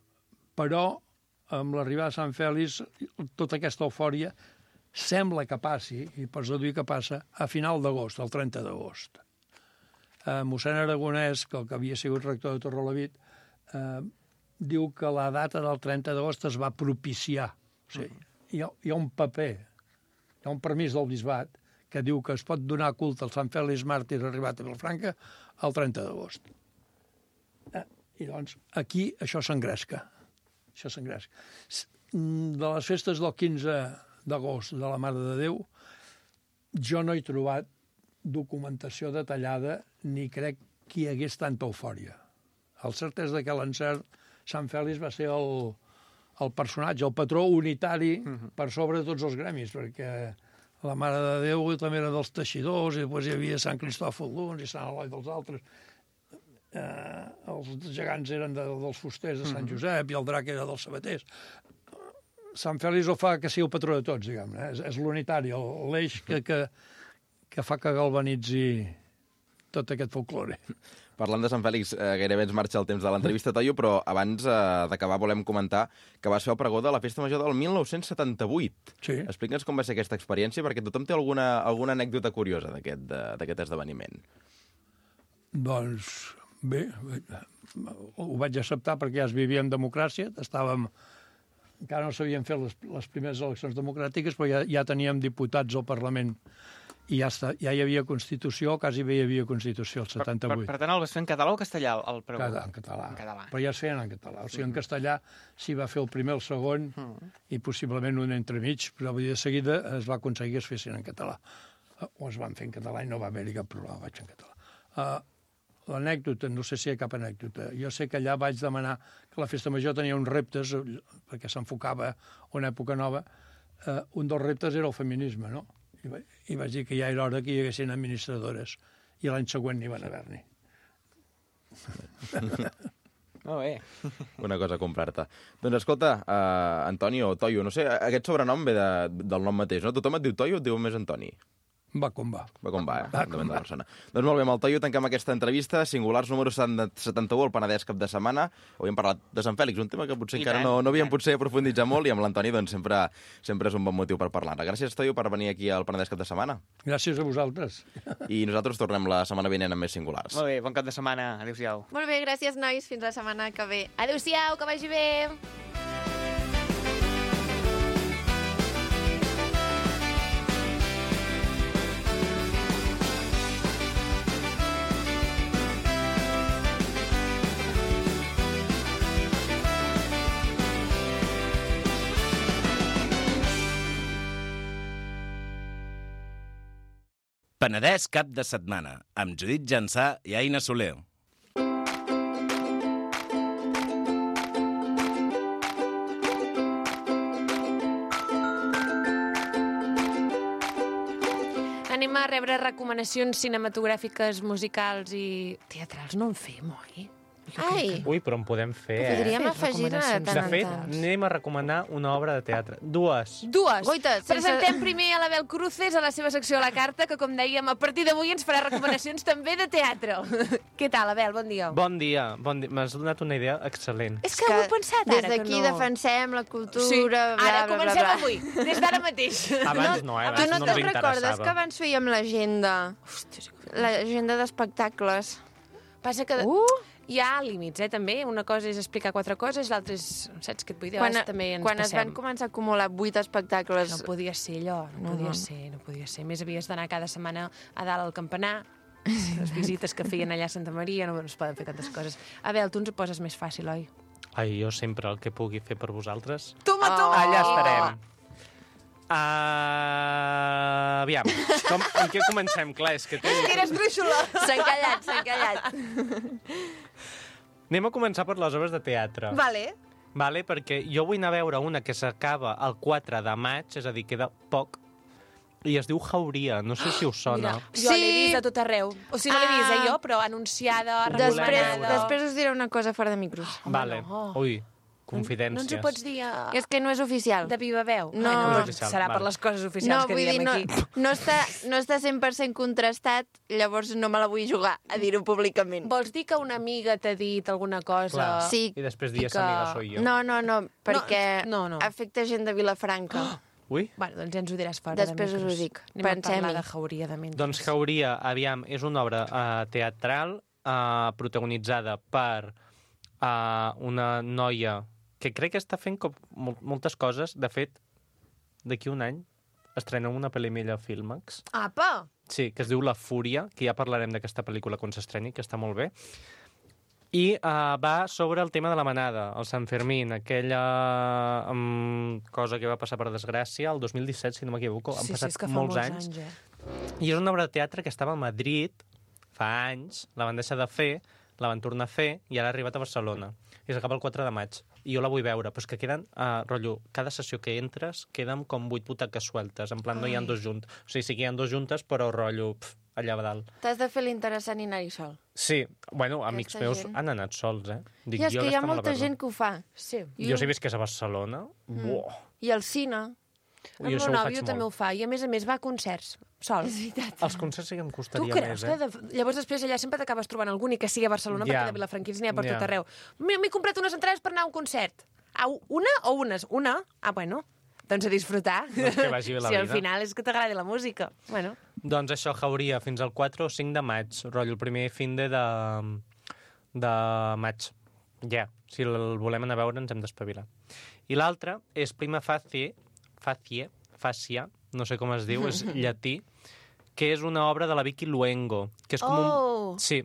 Però, amb l'arribada de Sant Fèlix, tota aquesta eufòria sembla que passi, i pots deduir que passa, a final d'agost, el trenta d'agost. Eh, mossèn Aragonès, que el que havia sigut rector de Torrelavit, eh, diu que la data del trenta d'agost es va propiciar. O sigui, hi ha, hi ha un paper, hi ha un permís del bisbat que diu que es pot donar culte al Sant Fèlix màrtir arribat a Vilafranca el trenta d'agost. Eh, I doncs aquí això s'engresca. Això s'engresca. De les festes del quinze d'agost de la Mare de Déu, jo no he trobat documentació detallada ni crec que hi hagués tanta eufòria. El cert és que l'encert Sant Fèlix va ser el, el personatge, el patró unitari uh-huh. per sobre de tots els gremis, perquè la Mare de Déu també era dels teixidors, i després hi havia Sant Cristòfol d'uns i Sant Eloi dels altres. Eh, els gegants eren de, dels fusters de Sant Josep i el drac era dels sabaters. Sant Fèlix ho fa que sigui el patró de tots, diguem-ne. És, és l'unitari, l'eix que, que, que fa que galvanitzi tot aquest folklore. Parlant de Sant Fèlix, eh, gairebé ens marxa el temps de l'entrevista, Toio, però abans eh, d'acabar volem comentar que vas fer el pregó de la Festa Major del mil nou-cents setanta-vuit. Sí. Explica'ns com va ser aquesta experiència, perquè tothom té alguna, alguna anècdota curiosa d'aquest esdeveniment. Doncs, bé, ho vaig acceptar perquè ja es vivia en democràcia, estàvem... Encara no s'havien fet les, les primeres eleccions democràtiques, però ja, ja teníem diputats al Parlament i ja, està, ja hi havia Constitució, quasi bé hi havia Constitució, el setanta-vuit. Per, per, per tant, el vas fer en català o castellà, el pregó? Cada, en català. En català. Però ja es feien en català. O sigui, en castellà s'hi va fer el primer, el segon, mm. i possiblement un entremig, però de seguida es va aconseguir que es fessin en català. O es van fer en català i no va haver-hi cap problema, vaig en català. Uh, L'anècdota, no sé si hi ha cap anècdota. Jo sé que allà vaig demanar que la Festa Major tenia uns reptes, perquè s'enfocava una època nova. Uh, un dels reptes era el feminisme, no? I, va, I vaig dir que ja era hora que hi haguessin administradores. I l'any següent n'hi van haver-n'hi. Molt bé. Una cosa a comprar-te. Doncs escolta, uh, Antonio, Toio, no sé, aquest sobrenom ve de, del nom mateix, no? Tothom et diu Toio o et diu més Antoni? Va com va. Va com va, eh? Va com va. Doncs molt bé, amb el Toio tanquem aquesta entrevista. Singulars número setanta-u, el Penedès cap de setmana. Avui hem parlat de Sant Fèlix, un tema que potser I encara tant, no, no havíem potser aprofunditzat molt, i amb l'Antoni doncs, sempre, sempre és un bon motiu per parlar-ne. Gràcies, Toio, per venir aquí al Penedès cap de setmana. Gràcies a vosaltres. I nosaltres tornem la setmana vinent amb més Singulars. Molt bé, bon cap de setmana. Adéu-siau. Molt bé, gràcies, nois. Fins la setmana que ve. Adéu-siau, que vagi bé! Penedès cap de setmana, amb Judit Jansà i Aina Soler. Anem a rebre recomanacions cinematogràfiques, musicals i teatrals. No en fem, oi? Ai, Ui, però en podem fer, eh? podríem Fer afegir de recomanacions. tant De en fet, tant. anem a recomanar una obra de teatre. Dues. Dues. Goita, sense- Presentem primer a l'Abel Cruces a la seva secció a la carta, que, com dèiem, a partir d'avui ens farà recomanacions també de teatre. Què tal, Abel? Bon dia. Bon dia. Bon dia. M'has donat una idea excel·lent. És que ho he pensat des ara, que d'aquí no... defensem la cultura, Sí, bla, ara bla, bla, comencem bla. avui, des d'ara mateix. Abans no, eh? Tu Abans no no te'n ens recordes interessava. que abans fèiem l'agenda? L'agenda d'espectacles. Passa que Uh! hi ha límits, eh, també. Una cosa és explicar quatre coses, l'altra és... Saps què et vull dir? A Quan, vegades també ens quan es passem. van començar a acumular vuit espectacles... No podia ser allò, no, No, podia no. ser, no podia ser. A més, havies d'anar cada setmana a dalt al campanar, les visites que feien allà a Santa Maria, no, no es poden fer tantes coses. Abel, tu ens ho poses més fàcil, oi? Ai, jo sempre el que pugui fer per vosaltres. Toma, toma! Allà estarem. Uh, aviam, com, en què comencem? Clar, és que té... Eres brúixola! S'han callat, s'han callat. Anem a començar per les obres de teatre. Vale. Vale, perquè jo vull anar a veure una que s'acaba el quatre de maig, és a dir, queda poc, i es diu Jauria, no sé si us sona. Mira, jo l'he Sí. vist a tot arreu. O sigui, no l'he vist, eh, Ah. jo, però anunciada, Després, recomanada... després us diré una cosa fora de micros. Vale, no. ui, confidències. No ens ho pots dir a... És que no és oficial. de viva veu? No. Ai, No és no oficial, serà vale. per les coses oficials No, que vull dir, diem no, aquí. no, està, no està cent per cent contrastat, llavors no me la vull jugar a dir-ho públicament. Vols dir que una amiga t'ha dit alguna cosa? Clar. Sí. I després I dies que- amiga soy jo. No, no, no, perquè no, no. afecta gent de Vilafranca. Ui. Bueno, doncs ja ens ho diràs fora Després de us ho micros. dic. Anem a Pensem-hi. parlar de Jauria de mentre. Doncs Jauria, aviam, és una obra uh, teatral uh, protagonitzada per uh, una noia que crec que està fent com mol moltes coses. De fet, d'aquí un any estrena una pel·li mella a Filmax. Apa! Sí, que es diu La Fúria, que ja parlarem d'aquesta pel·lícula quan s'estreni, que està molt bé. I uh, va sobre el tema de la manada, el Sant Fermín, aquella um, cosa que va passar per desgràcia el dos mil disset, si no m'equivoco. Han sí, sí, passat és que fa molts, molts anys. anys eh? I és una obra de teatre que estava a Madrid fa anys, la van deixar de fer, la van tornar a fer i ara ha arribat a Barcelona. I s'acaba el quatre de maig. I jo la vull veure, però és que queden, uh, rotllo, cada sessió que entres queden com vuit butaques sueltes, en plan no hi ha Ai. dos junts. O sigui, sí que hi ha dos juntes, però rotllo, pf, allà a dalt. T'has de fer l'interessant i anar-hi sol. Sí, bueno, amics Aquesta meus gent. han anat sols, eh? Dic, I és jo que hi ha aquesta me la molta perdo. gent que ho fa. Sí. Jo si visqués a Barcelona, mm. buah, I al cine. El jo meu això ho nòvio faig també ho molt. fa. I a més a més va a concerts, sol. És veritat. Els concerts sí que em Tu costaria creus més, que... eh? De... Llavors després allà sempre t'acabes trobant algú ni que sigui a Barcelona, Ja. perquè de Vilafranquins n'hi ha per Ja. tot arreu. M'he m'he comprat unes entrades per anar a un concert. A una o unes? Una? Ah, bueno. Doncs a disfrutar. Doncs que vagi bé la si al vida. final és que t'agradi la música. Bueno. Doncs això, Jauria, fins al quatre o cinc de maig, rotllo, el primer fin de, de, de maig. Ja, si el volem anar a veure ens hem d'espavilar. I l'altre és Prima Facie, Facie, Fàcia, no sé com es diu, és llatí, que és una obra de la Vicky Luengo, que és com Oh! un... Sí,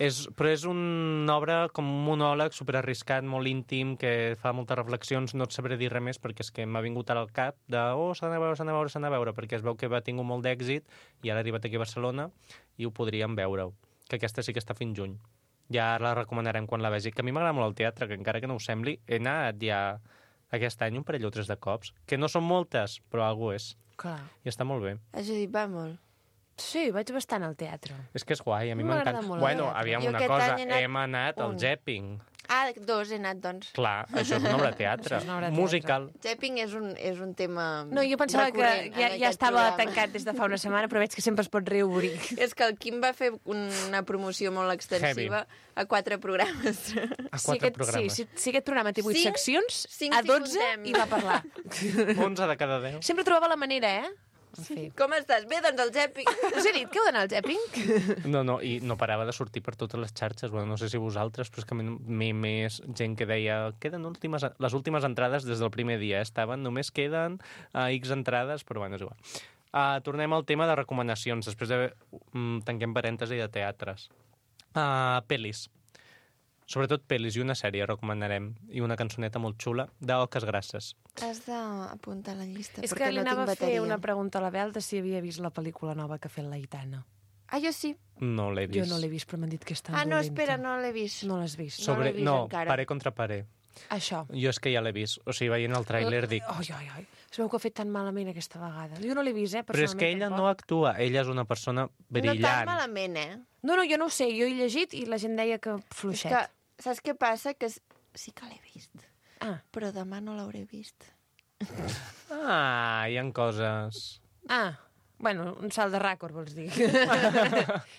és, però és una obra com un monòleg superarriscat, molt íntim, que fa moltes reflexions, no et sabré dir res més perquè és que m'ha vingut ara al cap de oh, s'ha d'anar a veure, s'ha d'anar a veure, s'ha d'anar a veure, perquè es veu que va tingut molt d'èxit i ara ha arribat aquí a Barcelona i ho podríem veure, que aquesta sí que està fins juny. Ja la recomanarem quan la vegi, que a mi m'agrada molt el teatre, que encara que no ho sembli, he anat ja aquest any un parell o tres de cops, que no són moltes, però algú és, Clar. i està molt bé. A Judit va molt. Sí, vaig bastant al teatre. És que és guai, a mi M'agrada m'encanta. molt el Bueno, teatre. aviam Jo una aquest cosa, any he anat hem anat al un. Jepping. Ah, dos he anat, doncs. Clar, això és una obra de teatre. Això és una obra de teatre. Musical. Japping és un, és un tema No, jo pensava que recurrent ja, en ja aquest estava programa. tancat des de fa una setmana, però veig que sempre es pot reobrir. És que el Quim va fer una promoció molt extensiva a quatre programes. A Si quatre aquest, programes. sí, si, si aquest programa té vuit Cinc? seccions, Cinc a si dotze comptem. hi va parlar. onze de cada deu. Sempre trobava la manera, eh? En fi. Com estàs? Bé, doncs el Japping. Us he dit que heu d'anar al Jepping? No, no, i no parava de sortir per totes les xarxes. Bueno, no sé si vosaltres, però és que m'he més gent que deia queden últimes, les últimes entrades des del primer dia. Estaven, només queden uh, X entrades, però bueno, és igual. Uh, tornem al tema de recomanacions. Després de... Um, tanquem parèntesi de teatres. Uh, pel·lis. Sobretot pel·lis i una sèrie recomanarem, i una cançoneta molt xula d'Oques Grasses. Has d'apuntar la llista, És perquè que li no anava tinc a fer bateria. una pregunta a la Bel de si havia vist la pel·lícula nova que ha fet l'Aitana. Ah, jo sí. No l'he vist. Jo no l'he vist, però m'han dit que és tan Ah, no, dolenta. espera, no l'he vist. No l'has vist. No Sobre... l'he vist no, encara. paré contra paré. Això. Jo és que ja l'he vist. O sigui, veient el tràiler dic... Ai, ai, ai. Es veu que ha fet tan malament aquesta vegada. Jo no l'he vist, eh, Però és que personalment, ella tampoc. no actua, ella és una persona No tan brillant. malament, eh? No, no, jo no ho sé. Jo he llegit i la gent deia que És fluixet. que, saps què passa? Que s- sí que l'he vist, Ah, però demà no l'hauré vist. Ah, hi ha coses... ah. Bueno, un salt de rècord, vols dir.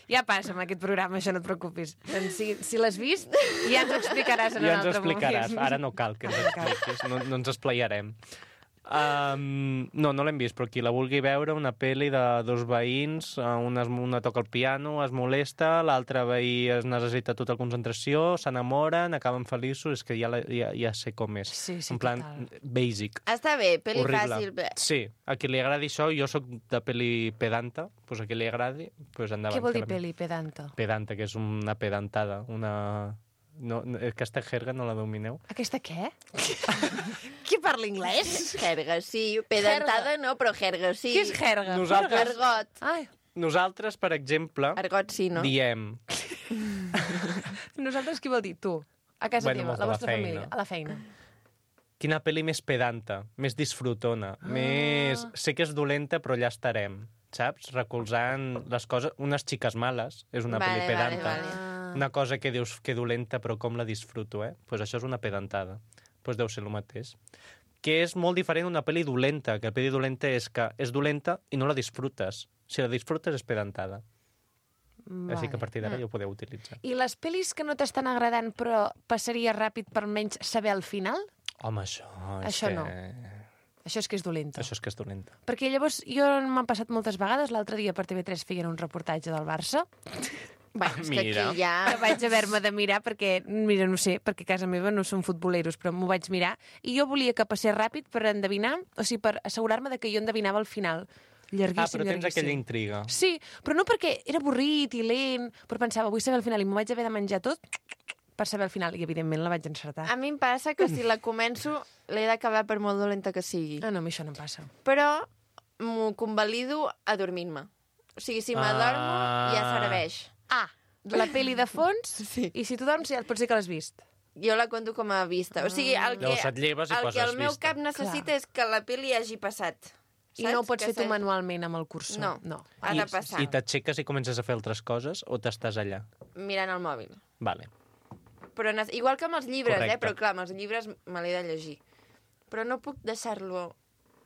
Ja passa amb aquest programa, això no et preocupis. Doncs si, si l'has vist, ja ens ho explicaràs en Ja un ens ho altre explicaràs. moment. Ara no cal que ens expliquis, no, no ens esplayarem. Um, no, no l'hem vist, però qui la vulgui veure, una pel·li de dos veïns, eh, una, es- una toca el piano, es molesta, l'altre veí es necessita tota la concentració, s'enamoren, acaben feliços, és que ja, la, ja, ja sé com és. Sí, sí, en plan, total. basic. Està bé, pel·li Horrible. fàcil. Bé. Sí, a qui li agradi això, jo sóc de pel·li pedanta, doncs a qui li agradi, doncs endavant. Què vol que dir la- peli pedanta? Pedanta, que és una pedantada, una... No, no, aquesta jerga no la domineu? Aquesta què? Qui parla anglès? Jerga, sí. Pedantada no, però jerga, sí. Què és jerga? Nosaltres- Argot. Ai, Nosaltres, per exemple, Argot sí, no? diem... nosaltres qui vol dir? Tu. A casa Bueno, teva, molts la de la vostra feina. família, a la feina. Quina pel·li més pedanta, més disfrutona, ah. més... Sé que és dolenta, però allà estarem, saps? Recolzant les coses... Unes xiques males, és una Vale, pel·li vale, pedanta. vale. Una cosa que dius que dolenta, però com la disfruto, eh? Doncs pues això és una pedantada. Doncs pues deu ser el mateix. Que és molt diferent una pel·li dolenta, que la pel·li dolenta és que és dolenta i no la disfrutes. Si la disfrutes és pedantada. Vale. Així que a partir d'ara ja ho podeu utilitzar. I les pel·lis que no t'estan agradant però passaria ràpid per almenys saber el final? Home, això... És Això que... no. Això és que és dolenta. Això és que és dolenta. Perquè llavors jo m'han passat moltes vegades, l'altre dia per T V tres feien un reportatge del Barça, Bueno, és que Mira. aquí ja... que vaig haver-me de mirar perquè, mira, no sé, perquè a casa meva no són futboleros, però m'ho vaig mirar, i jo volia que passés ràpid per endevinar, o sigui, per assegurar-me de que jo endevinava el final. Llarguíssim, Ah, però tens llarguíssim. aquella intriga. Sí, però no perquè era avorrit i lent, però pensava, vull saber el final, i m'ho vaig haver de menjar tot per saber el final, i evidentment la vaig encertar. A mi em passa que si la començo l'he d'acabar per molt dolenta que sigui. Ah, no, a mi això no em passa. Però m'ho convalido adormint-me. O sigui, si m'adormo, Ah. ja serveix. Ah, la peli de fons, Sí. i si tu dorms ja pot ser que l'has vist. Jo la conto com a vista. O sigui, el que, Llavors et lleves i el, que poses el meu vista. cap necessita Clar. és que la peli hagi passat. I no ho pots Que fer tu s'hagi- manualment amb el cursor. No, no. ha de passar. I t'aixeques i comences a fer altres coses o t'estàs allà? Mirant el mòbil. Vale. Però ne- igual que amb els llibres, Correcte. eh? Però clar, amb els llibres me l'he de llegir. Però no puc deixar-lo...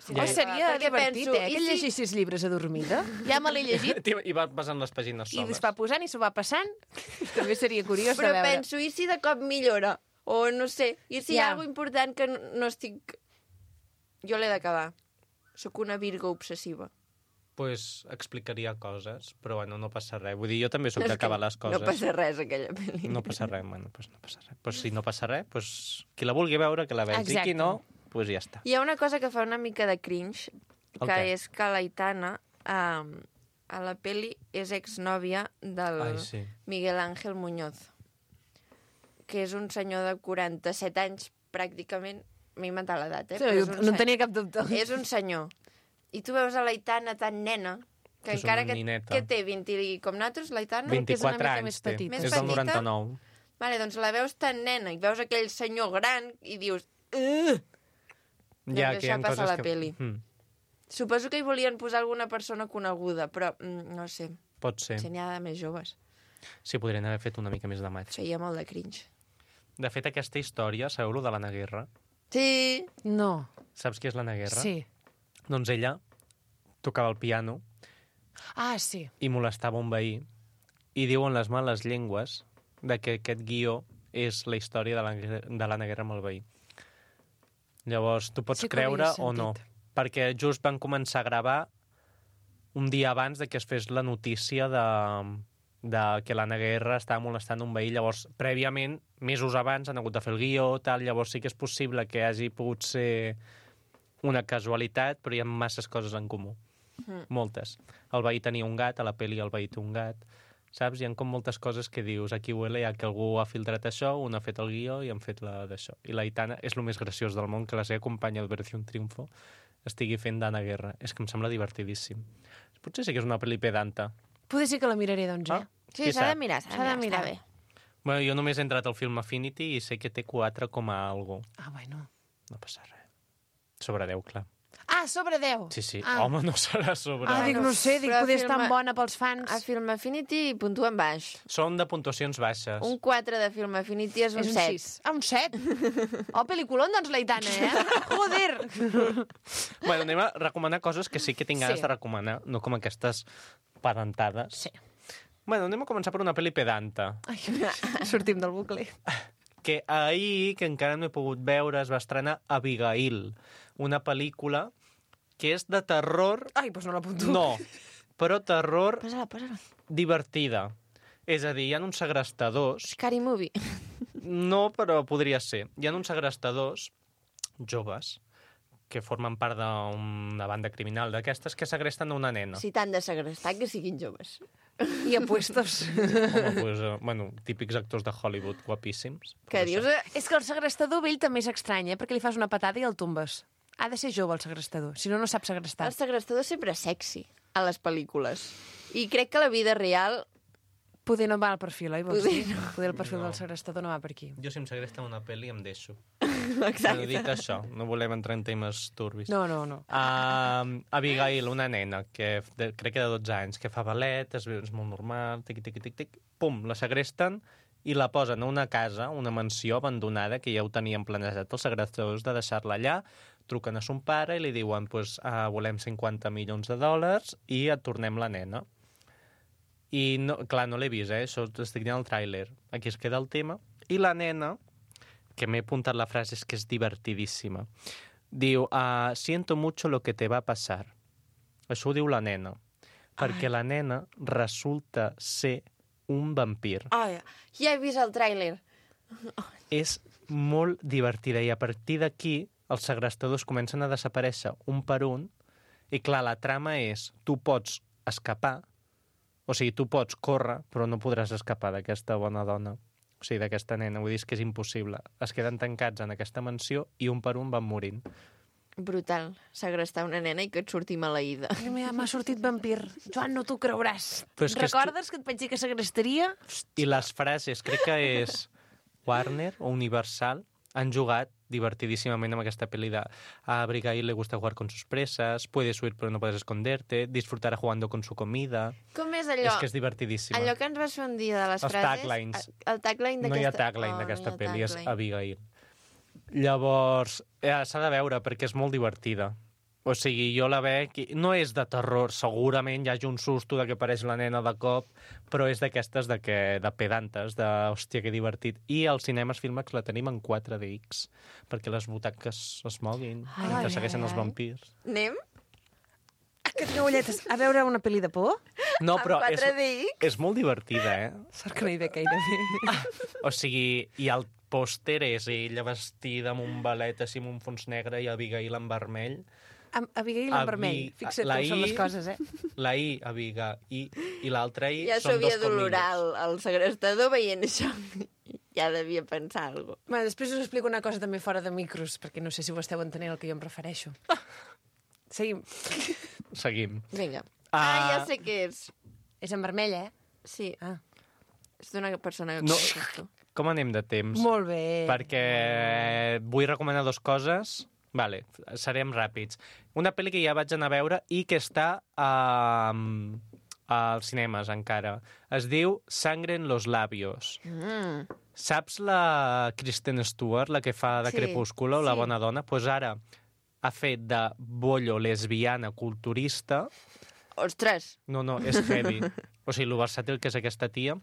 Oh, seria Perquè divertit, penso, eh? i Que si- llegissis llibres adormida. Ja me l'he llegit. I va passant les pàgines I soles. es va posant i s'ho va passant. També seria curiós Però de veure. penso, i si de cop millora? O no sé, i si hi Ja. ha alguna important que no, no estic... Jo l'he d'acabar. Sóc una Virgo obsessiva. Pues explicaria coses, però bueno, no passa res. Vull dir, jo també sóc No, és d'acabar que les coses. No passa res, aquella pel·li. No passa res, bueno, pues no passa res. Pues si no passa res, pues qui la vulgui veure, que la vegi. Exacte. I qui no, pues ja està. Hi ha una cosa que fa una mica de cringe, El que què? és que l'Aitana, um, a la peli, és exnòvia del Ai, sí. Miguel Ángel Muñoz, que és un senyor de quaranta-set anys, pràcticament. M'he inventat l'edat, eh? Sí, Però és no un en se- tenia cap dubte. És un senyor. I tu veus a l'Aitana tan nena, que És encara una que, nineta. que té vint i com nosaltres, l'Aitana? Vint- que és una vint-i-quatre mica anys més té. petita. Més És del petita? noranta-nou. Vale, doncs la veus tan nena i veus aquell senyor gran i dius... Uh! Ja, Doncs que hi ha això passa coses a la que... peli. Mm, Suposo que hi volien posar alguna persona coneguda, però mm, no sé, pot ser. si n'hi ha de més joves. Sí, podrien haver fet una mica més de maig. Feia molt de cringe. De fet, aquesta història, sabeu-lo de l'Anna Guerra? Sí, No. Saps qui és l'Anna Guerra? Sí. Doncs ella tocava el piano Ah, sí. i molestava un veí i diuen les males llengües de que aquest guió és la història de l'Anna de l'Anna Guerra amb el veí. Llavors, tu pots Sí que ho havia creure o no, sentit. perquè just van començar a gravar un dia abans de que es fes la notícia de, de que l'Anna Guerra estava molestant un veí. Llavors, prèviament, mesos abans, han hagut de fer el guió, tal, llavors sí que és possible que hagi pogut ser una casualitat, però hi ha masses coses en comú. Mm. Moltes. El veí tenia un gat, a la pel·li el veí té un gat. saps? Hi ha com moltes coses que dius, aquí huele ja que algú ha filtrat això, un ha fet el guió i han fet la d'això. I l'Aitana és el més graciós del món, que la seva companya d'Operación Triunfo estigui fent d'Anna Guerra. És que em sembla divertidíssim. Potser sí que és una pel·li pedanta. Poder ser que la miraré, doncs, eh? Ah, Sí, qui s'ha de sap? mirar, s'ha S'ha de de mirar. mirar. Està bé. Bueno, jo només he entrat al film Affinity i sé que té quatre coma algo. Ah, bueno. No passa res. Sobre deu, clar. Ah, sobre deu! Sí, sí. Ah. Home, no serà sobre... Ah, dic, no sé, dic, Però poder film- estar bona pels fans. A Film Affinity puntuen baix. Són de puntuacions baixes. Un quatre de Film Affinity és un És un set. sis. Ah, un set? Oh, pel·liculón, doncs, l'Aitana, eh? Joder! Bueno, anem a recomanar coses que sí que tinc ganes Sí. de recomanar, no com aquestes pedantades. Sí. Bueno, anem a començar per una pel·li pedanta, Ai, sortim del bucle. que ahir, que encara no he pogut veure, es va estrenar Abigail, una pel·lícula que és de terror... Ai, doncs no l'apunto. No, però terror Posa-la, posa-la. divertida. És a dir, hi ha uns segrestadors... Scary Movie. No, però podria ser. Hi ha uns segrestadors joves que formen part d'una banda criminal d'aquestes que segresten una nena. Si t'han de segrestar, que siguin joves. I apuestos. Home, pues, eh, bueno, típics actors de Hollywood guapíssims. Què Però dius? això- Eh? És que el segrestador vell també és estrany, eh? Perquè li fas una patada i el tombes. Ha de ser jove, el segrestador. Si no, no sap segrestar. El segrestador sempre és sexy a les pel·lícules. I crec que la vida real... Poder no va al perfil, oi? Vols Poder dir? Poder el perfil No. del segrestador no va per aquí. Jo, si em segresten una pel·li, em deixo. Però Exacte. dit això, no volem entrar en temes turbis. No, no, no. Uh, Abigail, una nena, que de, crec que de dotze anys, que fa ballet, es veu, és molt normal, tic, tic, tic, tic, pum, la segresten i la posen a una casa, una mansió abandonada, que ja ho tenien planejat els segrestadors de deixar-la allà, truquen a son pare i li diuen pues, uh, volem cinquanta milions de dòlars i et tornem la nena. I, no, clar, no l'he vist, eh? Això estic dient el tràiler. Aquí es queda el tema. I la nena, que m'he apuntat la frase, és que és divertidíssima. Diu, uh, siento mucho lo que te va a pasar. Això ho diu la nena. Perquè la nena resulta ser un vampir. Ai, ja he vist el tràiler. És molt divertida i a partir d'aquí els segrestadors comencen a desaparèixer un per un i clar, la trama és tu pots escapar, o sigui, tu pots córrer, però no podràs escapar d'aquesta bona dona, o sigui, d'aquesta nena. Vull dir, és que és impossible. Es queden tancats en aquesta mansió i un per un van morint. Brutal. Segrestar una nena i que et surti maleïda. Ai, M'ha m'ha sortit vampir. Joan, no t'ho creuràs. Però és que és Recordes que et vaig dir que segrestaria? I les frases, crec que és Warner o Universal, han jugat divertidísimament amb aquesta pel·li de a Abigail le gusta jugar con sus presas, puedes huir pero no puedes esconderte, disfrutará jugando con su comida... Com és allò? És que és divertidíssima. Allò que ens vas fer un dia de les Els frases... taglines. El tagline No d'aquesta... hi ha tagline Oh, d'aquesta no hi ha pel·li, és tagline. Abigail. Llavors, eh, s'ha de veure perquè és molt divertida. O sigui, jo la veig... i no és de terror, segurament hi hagi un susto de que apareix la nena de cop, però és d'aquestes de, que, de pedantes, de, hòstia, que divertit. I als cinemes Filmax la tenim en quatre D X, perquè les butaques es moguin, Ai, que ai, segueixen ai. els vampirs. Anem? Que tinc ulletes. A veure una pel·li de por? No, però Amb és, quatre D X? és molt divertida, eh? Sort que no hi ve gaire bé. O sigui, i el pòster és ella vestida amb un balet així amb un fons negre i Abigail en vermell. Amb Abigail en Abi- vermell. Fixa't la com són les I- coses, eh? La I, Abigail, i, i l'altra I Ja són dos s'havia d'olorar comilles. el, el segrestador veient això. Ja devia pensar alguna cosa. Bueno, després us explico una cosa també fora de micros, perquè no sé si ho esteu entenent el que jo em refereixo. Seguim. Seguim. Vinga. Ah. Ah, ja sé què és. És en vermell, eh? Sí, Ah. és d'una persona que No. coneixes tu. Com anem de temps? Molt bé. Perquè vull recomanar dues coses. Vale, serem ràpids. Una pel·li que ja vaig anar a veure i que està a, als cinemes encara. Es diu Sangre en los labios. Mm. Saps la Kristen Stewart, la que fa de Sí, Crepúsculo, la sí. bona dona? Doncs pues ara ha fet de bollo lesbiana culturista. Ostres, No, no, és heavy. O sigui, lo versàtil que és aquesta tia.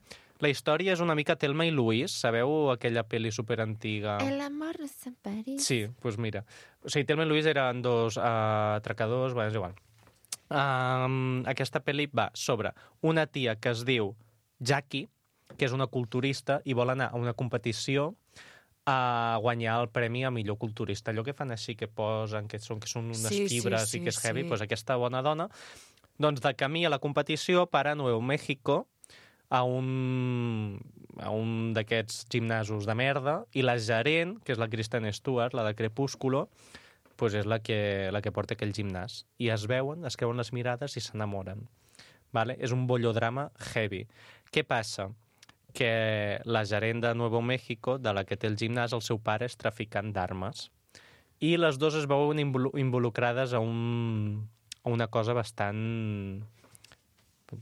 La història és una mica Thelma i Louise. Sabeu aquella pel·li superantiga? el amor no és en París. Sí, doncs pues mira. O sigui, Thelma i Louise eren dos uh, atracadors, bueno, és igual. Um, aquesta pel·li va sobre una tia que es diu Jackie, que és una culturista i vol anar a una competició a guanyar el premi a millor culturista. Allò que fan així, que posen, que són, que són unes Sí, sí, fibres sí, i que és heavy, sí. doncs aquesta bona dona, doncs de camí a la competició para Nuevo México, a un, a un d'aquests gimnasos de merda i la gerent, que és la Kristen Stewart, la de Crepúsculo, pues és la que, la que porta aquell gimnàs. I es veuen, es creuen les mirades i s'enamoren. Vale? És un bollodrama heavy. Què passa? Que la gerent de Nuevo México, de la que té el gimnàs, el seu pare és traficant d'armes. I les dues es veuen involucrades a, un, a una cosa bastant...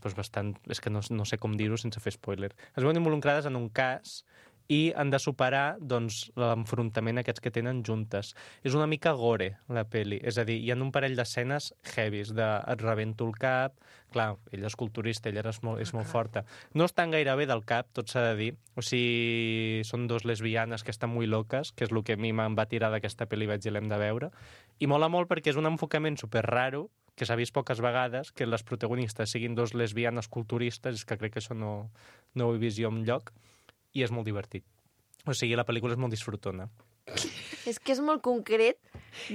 Pues bastant... És que no, no sé com dir-ho sense fer spoiler. Es veuen involucrades en un cas i han de superar doncs, l'enfrontament aquests que tenen juntes. És una mica gore, la peli. És a dir, hi ha un parell d'escenes heavies, de et rebento el cap... Clar, ella és culturista, ella és molt, és molt forta. No estan gaire bé del cap, tot s'ha de dir. O sigui, són dos lesbianes que estan molt loques, que és el que a mi me'n va tirar d'aquesta pel·li, vaig dir, l'hem de veure. I mola molt perquè és un enfocament super raro, que s'ha vist poques vegades, que les protagonistes siguin dos lesbianes culturistes, és que crec que això no, no ho he vist jo enlloc, i és molt divertit. O sigui, la pel·lícula és molt disfrutona. És que és molt concret.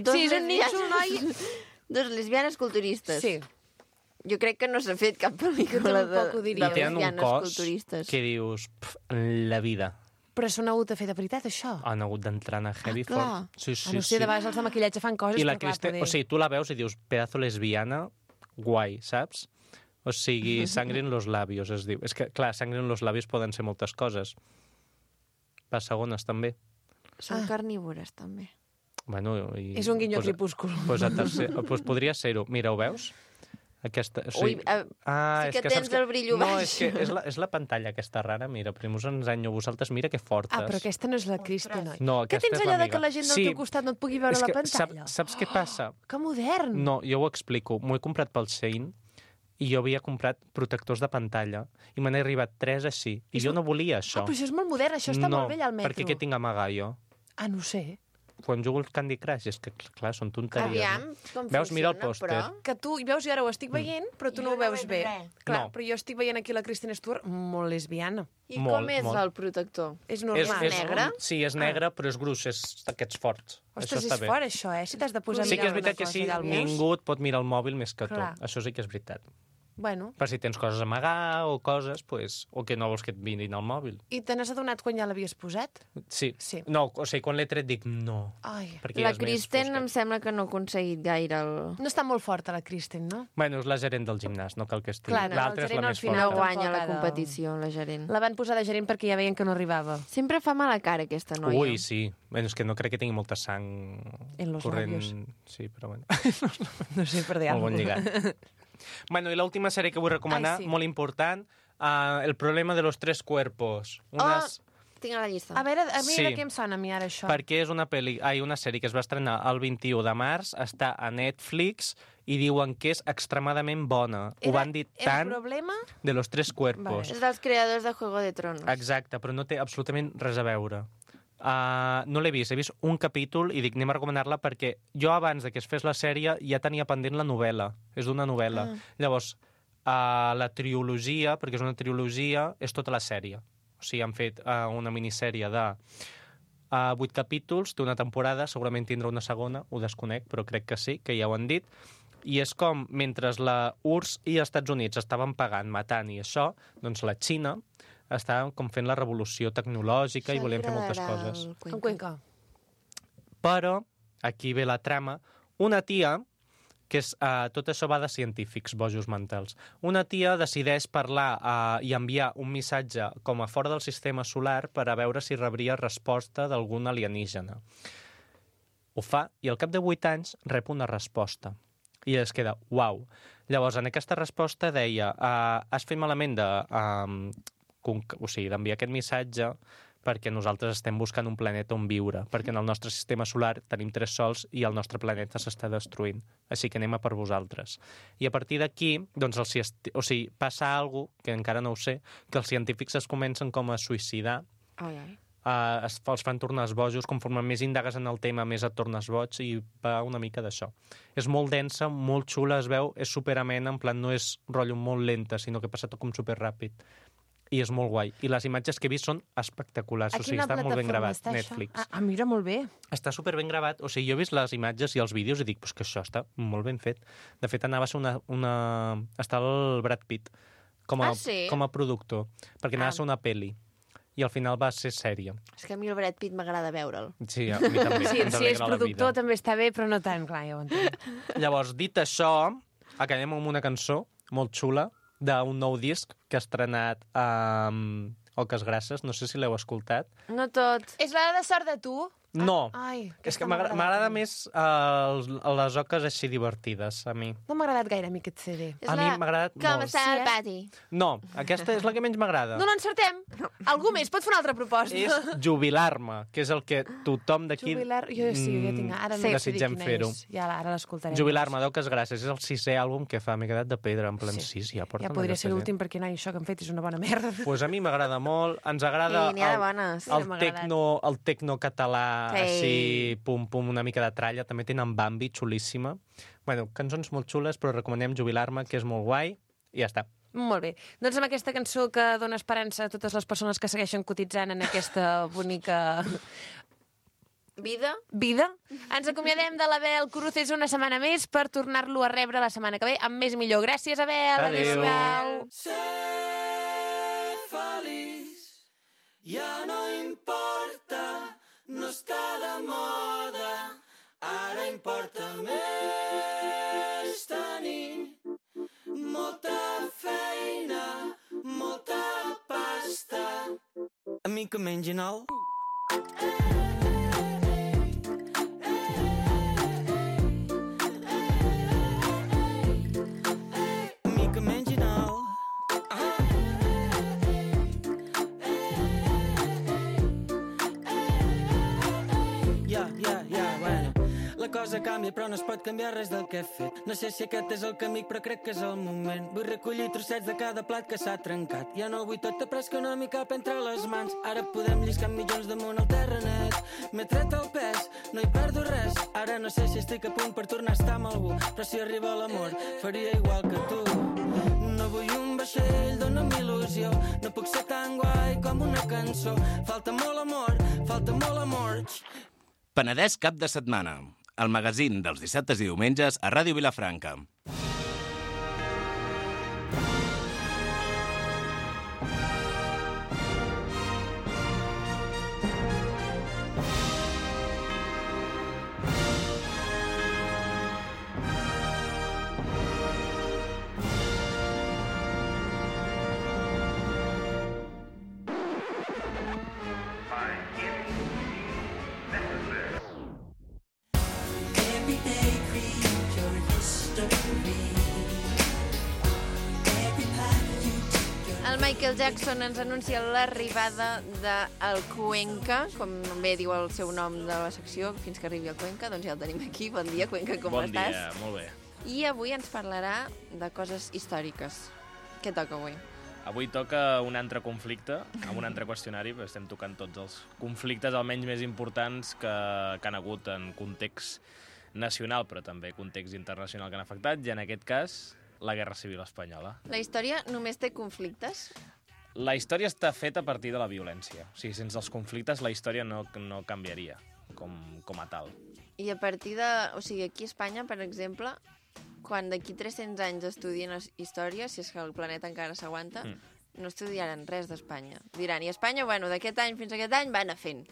Dos Sí, és un lesbianes- nínxol, noi. Dos lesbianes culturistes. Sí. Jo crec que no s'ha fet cap Jo pel·lícula de, tampoc ho diria. de I tenen un lesbianes cos culturistes. que dius, pf, en la vida. Però s'han hagut de fer de veritat, això. Han hagut d'entrar en heavy Ah, clar. fort. Sí, sí, Ah, no sé, sí. de vegades els de maquillatge fan coses, I la però clar, Kristen, poder... o sigui, tu la veus i dius, pedazo lesbiana, guai, saps? O sigui, sangre en los labios, es diu. És que, clar, sangre en los labios poden ser moltes coses. Les segones, també. Són Ah. carnívores, també. Bueno, i... És un guinyo pues, crepúscul. Pues, a tercer, pues podria ser-ho. Mira, ho veus? Aquesta, o sigui, Ui, eh, ah, sí és que que tens saps el brillo no, baix. és que és la, és la pantalla aquesta rara, mira, primer us ensenyo a vosaltres, mira que fortes. Ah, però aquesta no és la Kristen, oi? No, Què aquesta tens és allò de l'amiga. que la gent del Sí, teu costat no et pugui veure és la que pantalla? Saps, saps què passa? Que modern! No, jo ho explico. M'ho he comprat pel Shein i jo havia comprat protectors de pantalla i me n'he arribat tres així. I És jo mo- no volia això. Ah, però això és molt modern, això està no, molt bé allà al metro. perquè què tinc a amagar jo? Ah, no ho sé. Quan jugo al Candy Crush, és que, clar, són tonteries. Aviam, no? com Veus, mira el funciona, pòster. Que tu, i veus, jo ara ho estic veient, però tu Jo no ho no veus veig bé. res. Clar, No. però jo estic veient aquí la Kristen Stewart molt lesbiana. I Molt, com és molt. el protector? És És, normal. és, negre? Sí, és negre, però és gruix, és d'aquests forts. Ostres, això està és bé. fort, això, eh? Si t'has de posar a Sí que és mirar veritat una que sí, cosa allà al mig. ningú et pot mirar el mòbil més que tu. Clar. Això sí que és veritat. Bueno, Per si tens coses a amagar o coses, pues, o que no vols que et mirin al mòbil. i te n'has adonat quan ja l'havies posat? Sí. Sí. No, o sigui, quan l'he tret dic no. Ai, Perquè La és més Kristen fosca. em sembla que no ha aconseguit gaire el... no està molt forta, la Kristen, no? Bueno, és la gerent del gimnàs, no cal que estigui. Clar, no, L'altra el és la gerent al més final No forta. guanya la tampoc ha de- competició, la gerent. La van posar de gerent perquè ja veien que no arribava. Sempre fa mala cara, aquesta noia. Ui, sí. Bueno, és que no crec que tingui molta sang En los corrent. labios. Sí, però bueno. No sé, per dir Molt bon lligat. Bueno, i l'última sèrie que vull recomanar, Ai, sí. molt important, uh, El problema de los tres cuerpos. Unes... Oh, tinc a la llista. A veure, a mi Sí. de què em sona a mi ara això? Perquè és una, peli, ai, una sèrie que es va estrenar el vint-i-u de març, està a Netflix i diuen que és extremadament bona. Ho van dir el tant problema? de los tres cuerpos. És dels creadors de Juego de Tronos. Exacte, però no té absolutament res a veure. Uh, no l'he vist, he vist un capítol i dic, anem a recomanar-la perquè jo abans de que es fes la sèrie ja tenia pendent la novel·la. És d'una novel·la. Ah. Llavors, uh, la trilogia, perquè és una trilogia, és tota la sèrie. O sigui, han fet uh, una minissèrie de uh, vuit capítols, té una temporada, segurament tindrà una segona, ho desconec, però crec que sí, que ja ho han dit. I és com, mentre la U R S S i els Estats Units estaven pagant, matant i això, doncs la Xina estava com fent la revolució tecnològica i volien fer moltes coses. En Cuenca. Però, aquí ve la trama, una tia, que és, uh, tot això va de científics, bojos mentals, una tia decideix parlar uh, i enviar un missatge com a fora del sistema solar per a veure si rebria resposta d'algun alienígena. Ho fa i al cap de vuit anys rep una resposta. I es queda, uau. Llavors, en aquesta resposta deia, uh, has fet malament de, um, o sigui, d'enviar aquest missatge perquè nosaltres estem buscant un planeta on viure, perquè en el nostre sistema solar tenim tres sols i el nostre planeta s'està destruint. Així que anem a per vosaltres. I a partir d'aquí, doncs, el, o sigui, passa alguna cosa, que encara no ho sé, que els científics es comencen com a suïcidar, Ai, ai. Uh, es, els fan tornar bojos, conforme més indagues en el tema, més et tornes boig, i va una mica d'això. És molt densa, molt xula, es veu, és superamena, en plan no és rotllo molt lenta, sinó que passa tot com superràpid. I és molt guai. I les imatges que he vist són espectaculars. A O sigui, quina està molt ben plataforma gravat, està, Netflix. això? Ah, ah, mira, molt bé. Està super ben gravat. O sigui, jo he vist les imatges i els vídeos i dic, pues que això està molt ben fet. De fet, anava a ser una... una... Està el Brad Pitt com a, Ah, sí? com a productor, perquè anava Ah. a ser una pel·li. I al final va ser sèrie. És que a mi el Brad Pitt m'agrada veure'l. Sí, a mi també. Sí, ens si és alegra la productor vida. també està bé, però no tant, clar, ja ho entenc. Llavors, dit això, acabem amb una cançó molt xula d'un nou disc que ha estrenat amb Oques Grasses. No sé si l'heu escoltat. No tot. És l'hora de sort de tu? No, Ai, és que aquesta m'agrada m'ha agradat m'agrada a mi. més uh, les oques així divertides, a mi. No m'ha agradat gaire a mi aquest C D. És A mi la m'ha agradat Com molt. està Sí, el eh? pati. No, aquesta és la que menys m'agrada. No l'encertem. Algú més pot fer una altra proposta. És jubilar-me, que és el que tothom d'aquí Jubilar... Jo sí, ja tinc... Ara no Sí. sé dir desitgem quina fer-ho. és. Ja, ara l'escoltarem. Jubilar-me d'Oques Grasses és el sisè àlbum que fa. M'he quedat de pedra, en plan, sí, sí, ja porta Ja podria ser l'últim perquè no, això que han fet és una bona merda. Pues a mi m'agrada molt, ens agrada I n'hi ha de el, bones. el, Sí, m'ha tecno, el tecno català, Sí. així, pum, pum, una mica de tralla. També tenen Bambi, xulíssima. Bueno, cançons molt xules, però recomanem Jubilar-me, que és molt guai, i ja està. Molt bé. Doncs amb aquesta cançó que dona esperança a totes les persones que segueixen cotitzant en aquesta bonica Vida? vida, ens acomiadem de l'Abel Cruces una setmana més per tornar-lo a rebre la setmana que ve amb més i millor. Gràcies, Abel. Adéu. Adéu-siau. Ser feliç ja no importa, no està de moda, ara importa més tenir molta feina, molta pasta. Amic que mengi nou. Amic que mengi nou. Ja, ja, ja, bueno. La cosa canvia però no es pot canviar res del que he fet. No sé si aquest és el camí però crec que és el moment. Vull recollir trossets de cada plat que s'ha trencat. Ja no vull tot après que no m'hi cap entre les mans. Ara podem lliscar milions damunt el terrenet. M'he tret el pes, no hi perdo res. Ara no sé si estic a punt per tornar a estar amb algú, però si arriba l'amor faria igual que tu. No vull un vaixell, dona'm il·lusió. No puc ser tan guai com una cançó. Falta molt amor, falta molt amor. Penedès cap de setmana. El magazín dels dissabtes i diumenges a Ràdio Vilafranca. El Michael Jackson ens anuncia l'arribada del Cuenca, com bé diu el seu nom de la secció, fins que arribi el Cuenca, doncs ja el tenim aquí. Bon dia, Cuenca, com bon estàs? dia, molt bé. I avui ens parlarà de coses històriques. Què toca avui? Avui toca un altre conflicte, amb un altre qüestionari, perquè estem tocant tots els conflictes almenys més importants que, que han hagut en context nacional, però també context internacional que han afectat, i en aquest cas, la Guerra Civil Espanyola. La història només té conflictes? La història està feta a partir de la violència. O sigui, sense els conflictes la història no, no canviaria com, com a tal. I a partir de... O sigui, aquí a Espanya, per exemple, quan d'aquí tres-cents anys estudien història, si és que el planeta encara s'aguanta, mm. no estudiaran res d'Espanya. Diran, i Espanya, bueno, d'aquest any fins a aquest any va anar fent.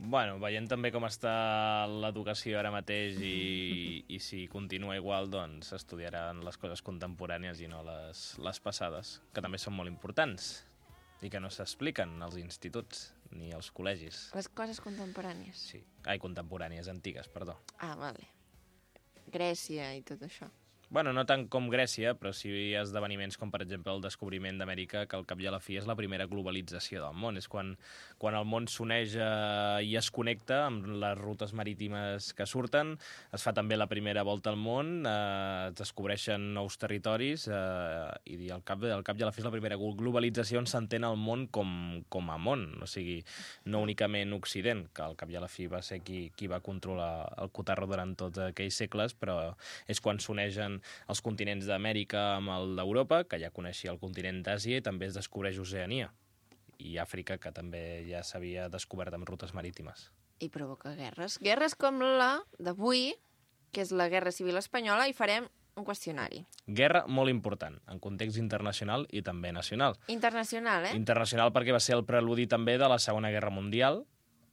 Bueno, veient també com està l'educació ara mateix i, i si continua igual, doncs s'estudiaran les coses contemporànies i no les, les passades, que també són molt importants i que no s'expliquen als instituts ni als col·legis. Les coses contemporànies. Sí, ai, contemporànies, antigues, perdó. Ah, vale. Grècia i tot això. Bueno, no tant com Grècia, però sí esdeveniments com, per exemple, el descobriment d'Amèrica, que al cap i a la fi és la primera globalització del món. És quan, quan el món s'uneix eh, i es connecta amb les rutes marítimes que surten, es fa també la primera volta al món, eh, es descobreixen nous territoris eh, i al cap, al cap i a la fi és la primera globalització on s'entén el món com, com a món. O sigui, no únicament Occident, que al cap i a la fi va ser qui, qui va controlar el cotarro durant tots aquells segles, però és quan s'uneixen els continents d'Amèrica amb el d'Europa, que ja coneixia el continent d'Àsia, i també es descobreix Oceania. I Àfrica, que també ja s'havia descobert amb rutes marítimes. I provoca guerres. Guerres com la d'avui, que és la Guerra Civil Espanyola, i farem un qüestionari. Guerra molt important, en context internacional i també nacional. Internacional, eh? Internacional perquè va ser el preludi també de la Segona Guerra Mundial.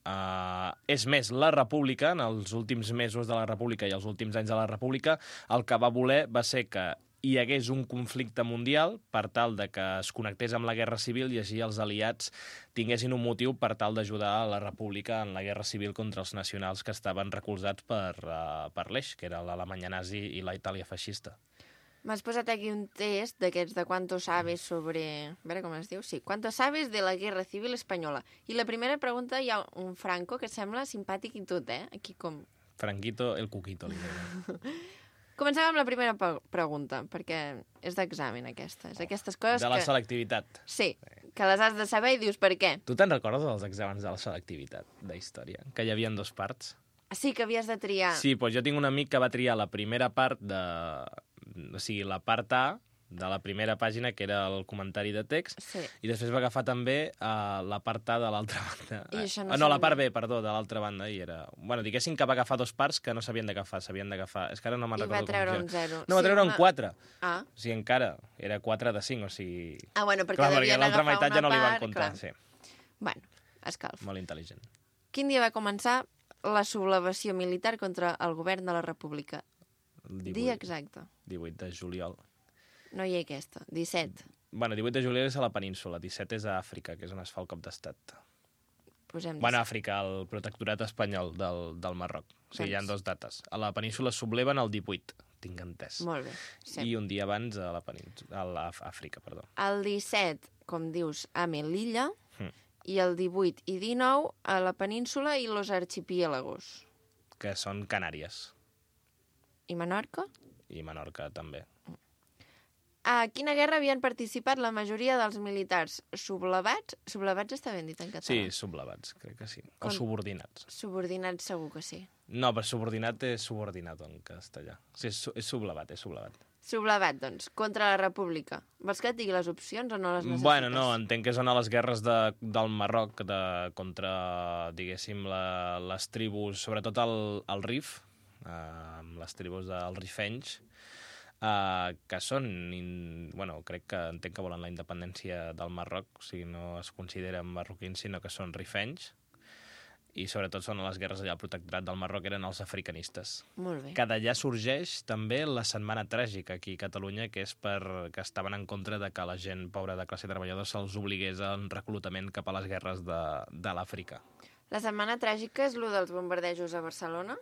Uh, és més, la República, en els últims mesos de la República i els últims anys de la República, el que va voler va ser que hi hagués un conflicte mundial per tal de que es connectés amb la Guerra Civil i així els aliats tinguessin un motiu per tal d'ajudar a la República en la Guerra Civil contra els nacionals que estaven recolzats per, uh, per l'Eix, que era l'Alemanya nazi i la Itàlia feixista. M'has posat aquí un test d'aquests de quanto sabes sobre... A veure com es diu? Sí, quanto sabes de la Guerra Civil Espanyola. I la primera pregunta hi ha un Franco que sembla simpàtic i tot, eh? Aquí com... Franquito el Cuquito, li deia. Comencem amb la primera pregunta, perquè és d'examen aquesta. És d'aquestes coses que... De la selectivitat. Sí, que les has de saber i dius per què. Tu te'n recordes dels exàmens de la selectivitat d'història? Que hi havia dos parts? Sí, que havies de triar. Sí, doncs jo tinc un amic que va triar la primera part de... O sigui, la part A de la primera pàgina, que era el comentari de text, sí. I després va agafar també uh, la part A de l'altra banda. I això no, uh, no la part B, perdó, de l'altra banda. I era... Bueno, diguéssim que va agafar dos parts que no s'havien d'agafar, s'havien d'agafar... És que ara no me'n recordo com. I va treure un zero. No, va treure sí, un quatre. Ah. O sigui, encara era quatre de cinc, o sigui... Ah, bueno, perquè clar, devien perquè l'altra agafar meitat una ja no li van part, comptar, clar. sí. Bueno, escalf. Molt intel·ligent. Quin dia va començar la sublevació militar contra el govern de la República? divuit, dia exacte. divuit de juliol. No hi ha aquesta. disset. Bueno, divuit de juliol és a la península, disset és a Àfrica, que és on es fa el cop d'estat. Posem Bueno, Àfrica, el protectorat espanyol del, del Marroc. O sigui, hi ha dos dates. A la península es subleven el divuit, tinc entès. Molt bé. Sí. I un dia abans a la península, a l'Àfrica, perdó. El disset, com dius, a Melilla, Mm. i el divuit i dinou a la península i los archipiélagos. Que són Canàries. I Menorca? I Menorca, també. A quina guerra havien participat la majoria dels militars sublevats? Sublevats està ben dit en català? Sí, sublevats, crec que sí. O Com... subordinats. Subordinats segur que sí. No, però subordinat és subordinat en castellà. Sí, és, és sublevat, és sublevat. Sublevat, doncs, contra la República. Vols que et digui les opcions o no les necessites? Bueno, no, entenc que són a les guerres de, del Marroc de, contra, diguéssim, la, les tribus, sobretot el, el Rif, eh, les tribus dels rifenys, eh, que són, in, bueno, crec que entenc que volen la independència del Marroc, o sigui, no es consideren marroquins, sinó que són rifenys, i sobretot són a les guerres allà al protectorat del Marroc, eren els africanistes. Molt bé. Que d'allà sorgeix també la setmana tràgica aquí a Catalunya, que és per que estaven en contra de que la gent pobra de classe treballadora se'ls obligués en reclutament cap a les guerres de, de l'Àfrica. La setmana tràgica és lo dels bombardejos a Barcelona?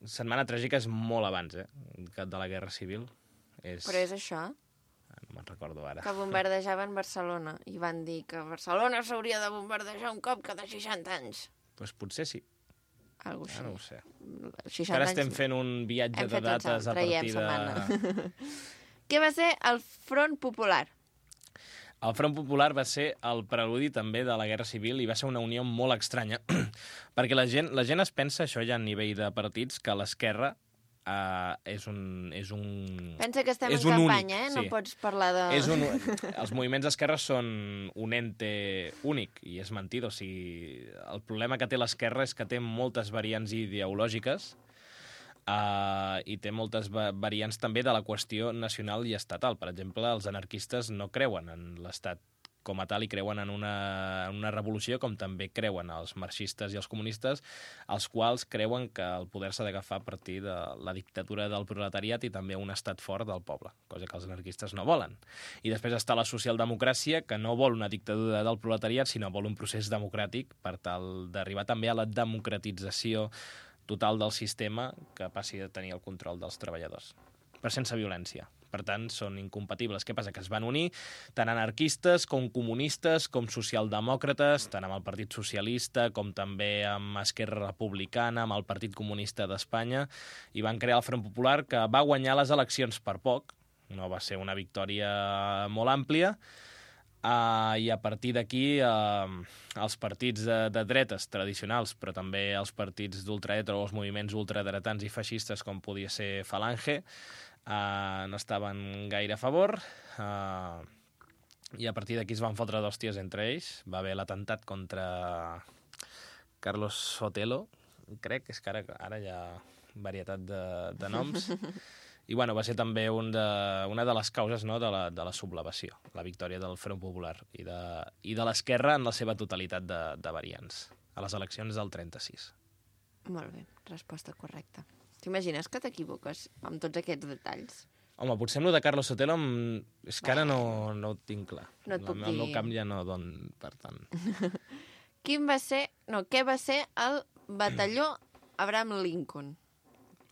Setmana tràgica és molt abans, eh, que de la Guerra Civil. És... Però és això? No me'n recordo ara. Que bombardejaven Barcelona i van dir que Barcelona s'hauria de bombardejar un cop cada seixanta anys. Doncs potser sí. Algo així. Ja no ho sé. seixanta Ara anys... estem fent un viatge Hem de fet un dates salt, a partir traiem de... Què va ser el Front Popular? El Front Popular va ser el preludi també de la Guerra Civil i va ser una unió molt estranya, perquè la gent, la gent es pensa, això ja a nivell de partits, que l'esquerra uh, és un... És un Pensa que estem és en un campanya, únic, eh? No sí. pots parlar de... És un, els moviments d'esquerra són un ente únic, i és mentida. O sigui, el problema que té l'esquerra és que té moltes variants ideològiques uh, i té moltes va variants també de la qüestió nacional i estatal. Per exemple, els anarquistes no creuen en l'estat com a tal i creuen en una, en una revolució, com també creuen els marxistes i els comunistes, els quals creuen que el poder s'ha d'agafar a partir de la dictadura del proletariat i també un estat fort del poble, cosa que els anarquistes no volen. I després està la socialdemocràcia, que no vol una dictadura del proletariat, sinó vol un procés democràtic per tal d'arribar també a la democratització total del sistema que passi a tenir el control dels treballadors, però sense violència. Per tant, són incompatibles. Què passa? Que es van unir tant anarquistes com comunistes, com socialdemòcrates, tant amb el Partit Socialista com també amb Esquerra Republicana, amb el Partit Comunista d'Espanya, i van crear el Front Popular, que va guanyar les eleccions per poc. No va ser una victòria molt àmplia, uh, i a partir d'aquí uh, els partits de, de dretes tradicionals, però també els partits d'ultradreta o els moviments ultradretans i feixistes, com podia ser Falange, Uh, no estaven gaire a favor, uh, i a partir d'aquí es van fotre d'hòsties entre ells. Va haver l'atemptat contra Carlos Sotelo, crec, és que ara, ara hi ha varietat de, de noms, I bueno, va ser també un de, una de les causes, no, de, la, de la sublevació, la victòria del Front Popular i de, i de l'esquerra en la seva totalitat de, de variants, a les eleccions del trenta-sis. Molt bé, resposta correcta. T'imagines que t'equivoques amb tots aquests detalls? Home, potser amb el de Carlos Sotelo em... és que ara no, no ho tinc clar. No et puc el, dir. el meu camp ja no don per tant. Quin va ser... No, què va ser el batalló Abraham Lincoln?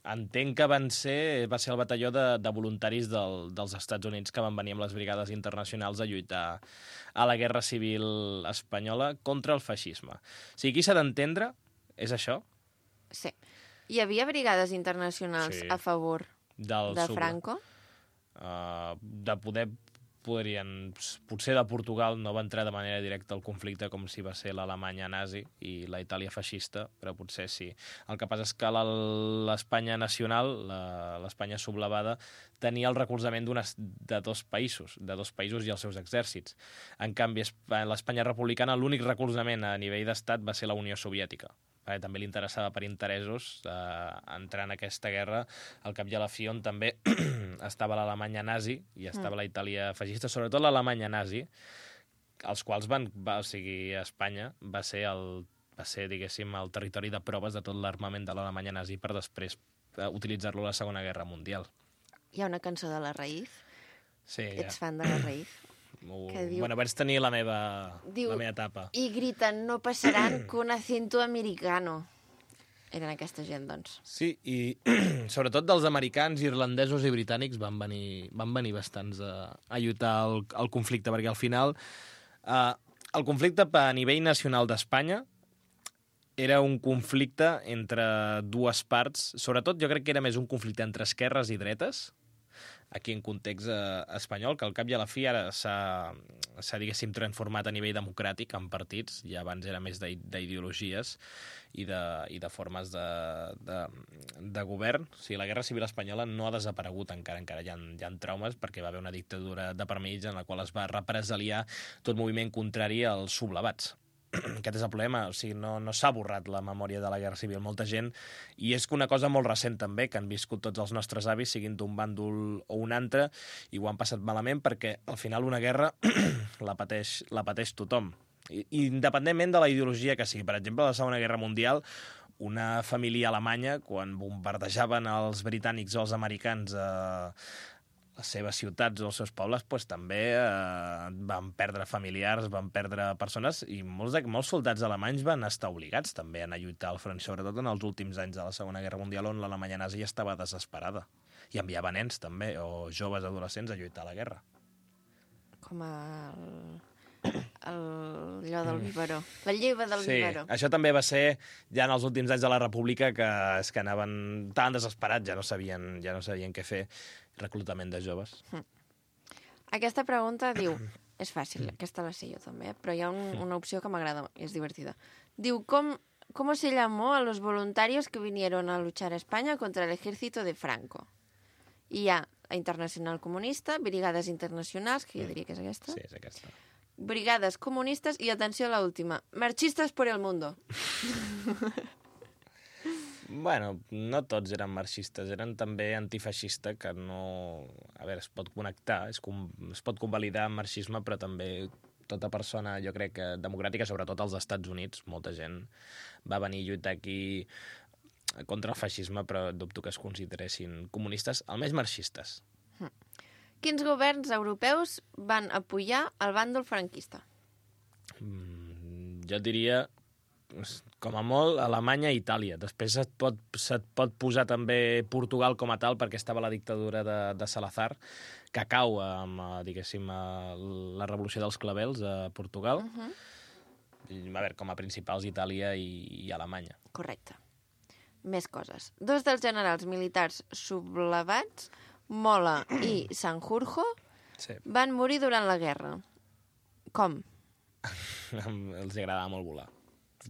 Entenc que van ser, va ser el batalló de, de voluntaris del, dels Estats Units que van venir amb les brigades internacionals a lluitar a la Guerra Civil Espanyola contra el feixisme. O sigui, aquí s'ha d'entendre, és això? Sí. Hi havia brigades internacionals Sí. a favor Del de sub- Franco? Uh, de poder podrien... Potser de Portugal no va entrar de manera directa al conflicte com si va ser l'Alemanya nazi i la Itàlia feixista, però potser sí. El que passa és que la- l'Espanya nacional, la- l'Espanya sublevada, tenia el recolzament d'unes- de dos països, de dos països i els seus exèrcits. En canvi, Espa- l'Espanya republicana, l'únic recolzament a nivell d'estat va ser la Unió Soviètica. Perquè també li interessava per interessos eh, entrar en aquesta guerra, al cap i a la fi on també estava l'Alemanya nazi i estava mm. la Itàlia feixista, sobretot l'Alemanya nazi, els quals van, va, o sigui, Espanya va ser, el, va ser, diguéssim, el territori de proves de tot l'armament de l'Alemanya nazi per després eh, utilitzar-lo a la Segona Guerra Mundial. Hi ha una cançó de la Raïf. Sí, Ets ja. fan de la Raïf. Uh, que diu- Bueno, vaig tenir la meva, Diu- la meva etapa. I griten, no passaran con acento americano. Eren aquesta gent, doncs. Sí, i sobretot dels americans, irlandesos i britànics van venir, van venir bastants a, a lluitar al, al conflicte, perquè al final eh, el conflicte a nivell nacional d'Espanya era un conflicte entre dues parts, sobretot jo crec que era més un conflicte entre esquerres i dretes, aquí en context eh, espanyol, que al cap i a la fi ara s'ha, s'ha, diguéssim, transformat a nivell democràtic en partits, i abans era més d'ideologies i de, i de formes de, de, de govern. O sigui, la Guerra Civil Espanyola no ha desaparegut encara, encara hi ha, hi ha traumes, perquè va haver una dictadura de per mig en la qual es va represaliar tot moviment contrari als sublevats. Aquest és el problema, o sigui, no, no s'ha borrat la memòria de la Guerra Civil. Molta gent, i és una cosa molt recent també, que han viscut tots els nostres avis, siguin d'un bàndol o un altre, i ho han passat malament perquè al final una guerra la pateix, la pateix tothom. I, independentment de la ideologia que sigui. Per exemple, a la Segona Guerra Mundial, una família alemanya, quan bombardejaven els britànics o els americans a les seves ciutats o els seus pobles, doncs, també eh, van perdre familiars, van perdre persones, i molts, de, molts soldats alemanys van estar obligats també a anar a lluitar al front, sobretot en els últims anys de la Segona Guerra Mundial, on l'Alemanya nazi estava desesperada. I enviava nens també, o joves adolescents, a lluitar a la guerra. Com el... el allò del biberó. La lleva del Sí, biberó. això també va ser ja en els últims anys de la República, que és que anaven tan desesperats, ja no sabien, ja no sabien què fer. Reclutament de joves. Aquesta pregunta diu... És fàcil, aquesta la sé jo també, però hi ha un, una opció que m'agrada i és divertida. Diu, com, ¿cómo se llamó a los voluntarios que vinieron a luchar a España contra el ejército de Franco? I hi ha la Internacional Comunista, Brigades Internacionals, que jo diria que és aquesta. Sí, és aquesta. Brigades Comunistes i, atenció a l'última, Marxistes por el mundo. Bueno, no tots eren marxistes, eren també antifeixista, que no... A veure, es pot connectar, es, com... es pot convalidar amb marxisme, però també tota persona, jo crec que democràtica, sobretot als Estats Units, molta gent va venir a lluitar aquí contra el feixisme, però dubto que es consideressin comunistes, almenys marxistes. Hm. Quins governs europeus van apoyar el bàndol franquista? Mm, jo diria, com a molt, Alemanya i Itàlia. Després se't pot, se't pot posar també Portugal com a tal, perquè estava la dictadura de, de Salazar, que cau amb, diguéssim, la revolució dels clavels a Portugal. Uh -huh. I, a veure, com a principals, Itàlia i, i Alemanya. Correcte. Més coses. Dos dels generals militars sublevats, Mola i Sanjurjo, Sí. van morir durant la guerra. Com? Els agradava molt volar.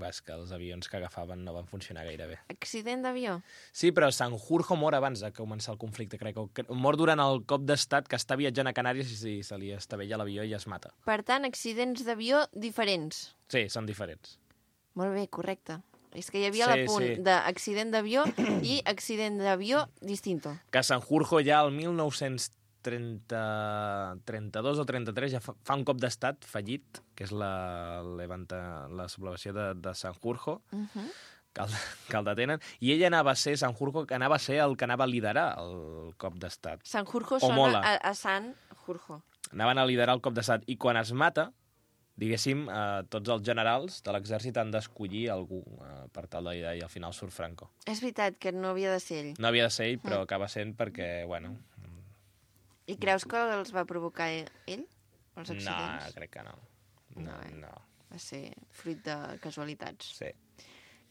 És que els avions que agafaven no van funcionar gaire bé. Accident d'avió? Sí, però Sanjurjo mor abans de començar el conflicte, crec. Mor durant el cop d'estat, que està viatjant a Canàries i se li estavella l'avió i es mata. Per tant, accidents d'avió diferents. Sí, són diferents. Molt bé, correcte. És que hi havia Sí, l'apunt sí. d'accident d'avió i accident d'avió distinto. Que Sanjurjo ja el mil nou-cents trenta-dos o trenta-tres ja fa, fa un cop d'estat fallit, que és la, levanta, la sublevació de, de Sanjurjo, Uh -huh. que el, que el detenen, i ell anava a ser, Sanjurjo, que anava a ser el que anava a liderar el cop d'estat. Sanjurjo O Mola. sona a, a San Jurjo. Anaven a liderar el cop d'estat, i quan es mata, diguéssim, eh, tots els generals de l'exèrcit han d'escollir algú eh, per tal de liderar, i al final surt Franco. És veritat que no havia de ser ell. No havia de ser ell, però acaba sent perquè, bueno... I creus que els va provocar ell, els No, accidents? crec que no. No, No, eh? no. Va ser fruit de casualitats. Sí.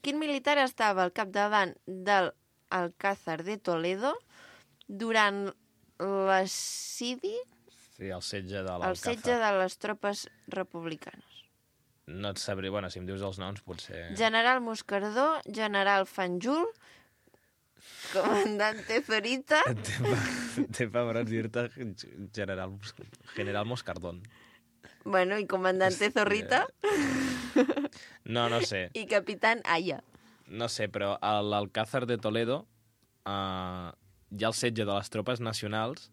Quin militar estava al capdavant del Alcázar de Toledo durant l'assidi, Sí, el setge de el l'Alcázar. setge de les tropes republicanes? No et sabré... Bueno, si em dius els noms, potser... General Moscardó, general Fanjul, comandante Zorita... Té pebrats dir-te general, general Moscardón. Bueno, i comandante Zorrita No, no sé. i capitán Aya. No sé, però a l'Alcázar de Toledo eh, hi ha el setge de les tropes nacionals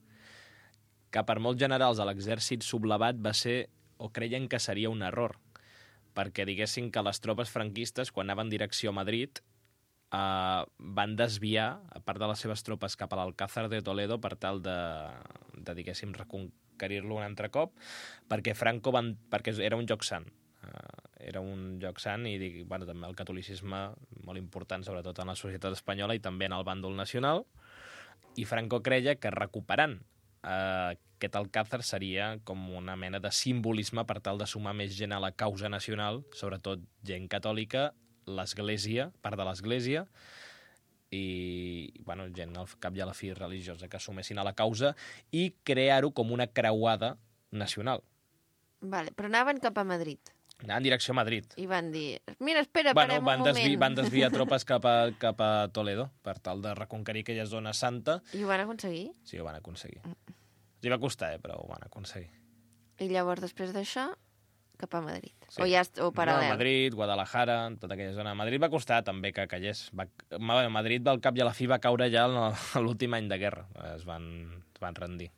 que per molts generals a l'exèrcit sublevat va ser, o creien que seria un error, perquè diguessin que les tropes franquistes, quan anaven en direcció a Madrid, eh, van desviar, a part de les seves tropes, cap a l'Alcázar de Toledo per tal de, de diguéssim, reconquerir-lo un altre cop, perquè Franco van, perquè era un lloc sant. Uh, era un lloc sant i dic, bueno, també el catolicisme molt important, sobretot en la societat espanyola i també en el bàndol nacional, i Franco creia que recuperant uh, aquest Alcázar seria com una mena de simbolisme per tal de sumar més gent a la causa nacional, sobretot gent catòlica, l'església, part de l'església, i bueno, gent al cap i a la fi religiosa que assumessin a la causa i crear-ho com una creuada nacional. Vale, però anaven cap a Madrid Anaven en direcció a Madrid. i van dir, mira, espera, Bueno, parem van, un desvi moment. van desviar tropes cap a, cap a Toledo per tal de reconquerir aquella zona santa. I ho van aconseguir? Sí, ho van aconseguir. Els va costar, eh, però ho van aconseguir. I llavors, després d'això, cap a Madrid. Sí. O ja est- o paral·lel. No, Madrid, Guadalajara, tota aquella zona. Madrid va costar també que callés. Va... Ma- Madrid, al cap i a la fi, va caure ja en el- a l'últim any de guerra. Es van, es van rendir.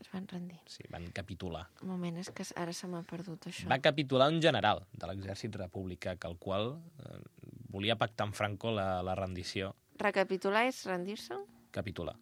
Es van rendir. Sí, van capitular. Un moment, és que ara se m'ha perdut això. Va capitular un general de l'exèrcit republicà, que el qual eh, volia pactar amb Franco la, la rendició. Recapitular és rendir-se? Capitular.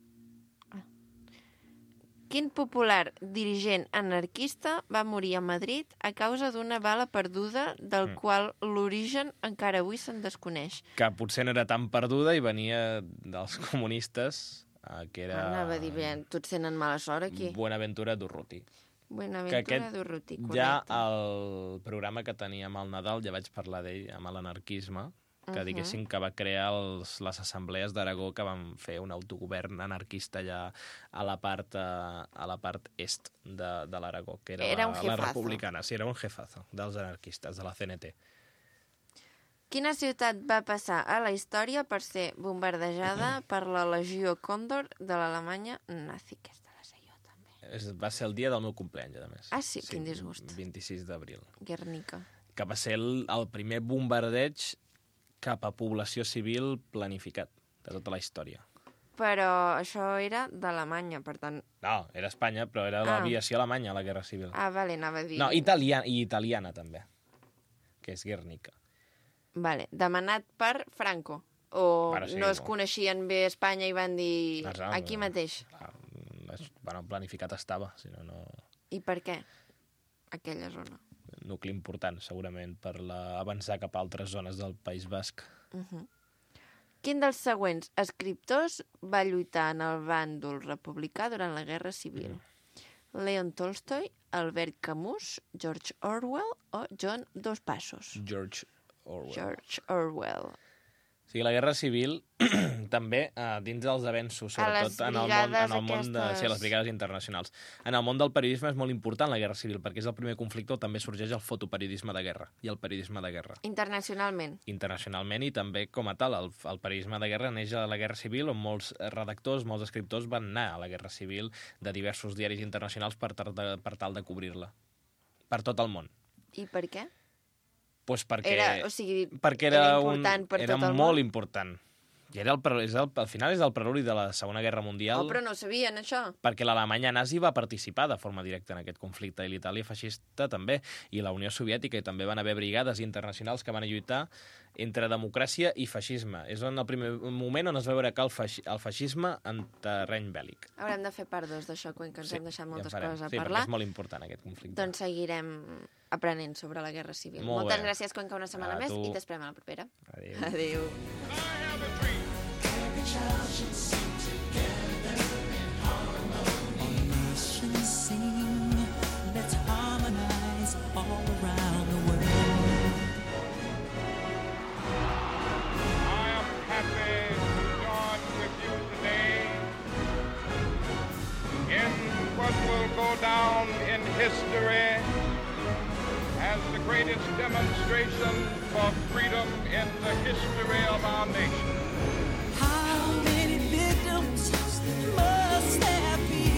Quin popular dirigent anarquista va morir a Madrid a causa d'una bala perduda del Mm. qual l'origen encara avui se'n desconeix? Que potser no era tan perduda i venia dels comunistes, eh, que era Anava a dir, bé, tots tenen mala sort aquí. Buenaventura Durruti. Buenaventura aquest Durruti, Ja correcte. el programa que teníem al Nadal, ja vaig parlar d'ell amb l'anarquisme, que Mhm. diguéssim que va crear els, les assemblees d'Aragó que van fer un autogovern anarquista allà a la part, a, a la part est de, de l'Aragó, que era, Era la, un la jefazo. republicana. Sí, era un jefazo dels anarquistes, de la C N T. Quina ciutat va passar a la història per ser bombardejada per la Legió Còndor de l'Alemanya nazi? Aquesta la sé jo, també. És, va ser el dia del meu compleany, a més. Ah, sí? Quin disgust. vint-i-sis d'abril. Guernica. Que va ser el, el primer bombardeig cap a població civil planificat de tota la història. Però això era d'Alemanya, per tant... No, era Espanya, però era Ah. l'aviació alemanya, la Guerra Civil. Ah, vale, anava a dir... No, italiana, i italiana també, que és Guernica. Vale, demanat per Franco. O Bueno, sí, no es o- coneixien bé Espanya i van dir No, no, aquí no. mateix. Clar, es- bueno, planificat estava, si no, no... I per què? Aquella zona. Nucli important, segurament, per la... avançar cap a altres zones del País Basc. Uh -huh. Quin dels següents escriptors va lluitar en el bàndol republicà durant la Guerra Civil? Mm. Leon Tolstoy, Albert Camus, George Orwell o John Dos Passos? George Orwell. George Orwell. O sigui, la Guerra Civil també, eh, dins dels avenços, A les sobretot en el món, brigades en el món de, aquestes- sí, a les brigades internacionals. En el món del periodisme és molt important la Guerra Civil, perquè és el primer conflicte on també sorgeix el fotoperiodisme de guerra i el periodisme de guerra. Internacionalment. Internacionalment i també com a tal. El, el periodisme de guerra neix a la Guerra Civil, on molts redactors, molts escriptors van anar a la Guerra Civil de diversos diaris internacionals per tal de, per tal de cobrir-la. Per tot el món. I per què? Pues perquè, Era, o sigui, perquè era, era un, important per era tot el molt món. important. I era el, pre- és el, al final és el preludi de la Segona Guerra Mundial, Oh, però no ho sabien, això. perquè l'Alemanya nazi va participar de forma directa en aquest conflicte, i l'Itàlia feixista també, i la Unió Soviètica, i també van haver brigades internacionals que van lluitar entre democràcia i feixisme. És en el primer moment on es va veure que el, feixi, el feixisme en terreny bèl·lic. Haurem de fer part dos d'això, que ens Sí, hem deixat ja en moltes farem. coses a Sí, perquè parlar. és molt important aquest conflicte. Doncs seguirem aprenent sobre la Guerra Civil. Molt Moltes bé. gràcies, Cuenca, una setmana A més, tu. i t'esperem a la propera. Adéu. Adéu. Let's harmonize all around the world. I am happy to join with you today in what will go down in history as the greatest demonstration for freedom in the history of our nation. How many victims must there be?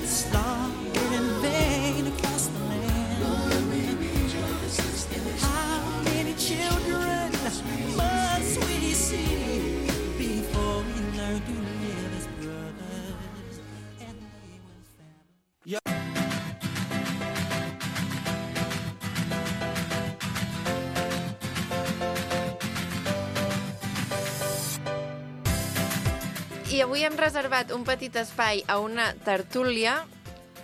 Slaughtered in vain across the land. How many children must we see before we learn to live as brothers and live with family? I avui hem reservat un petit espai a una tertúlia,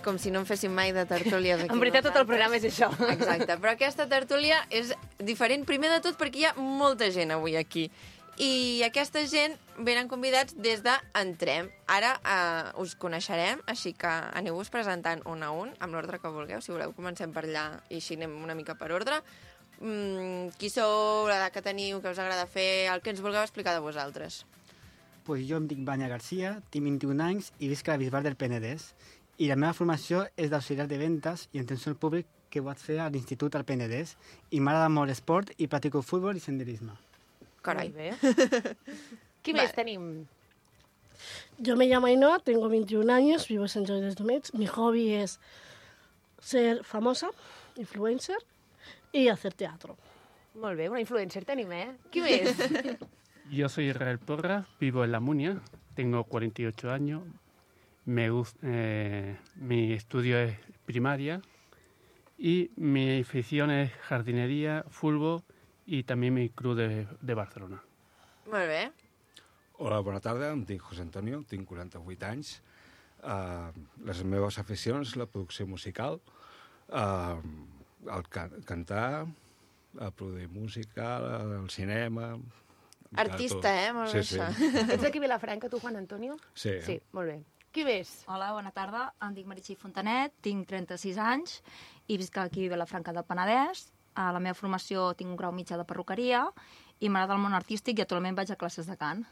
com si no en féssim mai de tertúlies aquí. En veritat, tot el programa és això. Exacte, però aquesta tertúlia és diferent, primer de tot, perquè hi ha molta gent avui aquí. I aquesta gent venen convidats des d'Entrem. Ara eh, us coneixerem, així que aneu-vos presentant un a un, amb l'ordre que vulgueu. Si voleu, comencem per allà i així anem una mica per ordre. Mm, qui sou, l'edat que teniu, què us agrada fer, el que ens vulgueu explicar de vosaltres. Pues jo em dic Vanya Garcia, tinc vint-i-un anys i visc a la Bisbal del Penedès. I la meva formació és d'auxiliar de ventes i atenció al públic que vaig fer a l'Institut al Penedès. I m'agrada molt l'esport i practico futbol i senderisme. Carai. Molt bé. Qui més tenim? Yo me llamo Ainhoa, tengo veintiún años, vivo en Sant Jordi dels Domenys. Mi hobby es ser famosa, influencer, y hacer teatro. Molt bé, una influencer tenim, eh? Qui més? Yo soy Israel Porra, vivo en La Munia, tengo cuarenta y ocho años, me gust- eh, mi estudio es primaria y mi afición es jardinería, fútbol y también mi club de, de Barcelona. Molt bé. Hola, bona tarda, em dic José Antonio, tinc quaranta-vuit anys. Uh, les meves aficions, la producció musical, uh, el can cantar, a produir música, el cinema... Artista, eh? Molt bé, sí, això. sí. Ets d'aquí a Vilafranca, tu, Juan Antonio? Sí. Sí, molt bé. Qui més? Hola, bona tarda. Em dic Meritxell Fontanet, tinc trenta-sis anys i visc aquí a Vilafranca del Penedès. A la meva formació tinc un grau mitjà de perruqueria i m'agrada el món artístic i actualment vaig a classes de cant.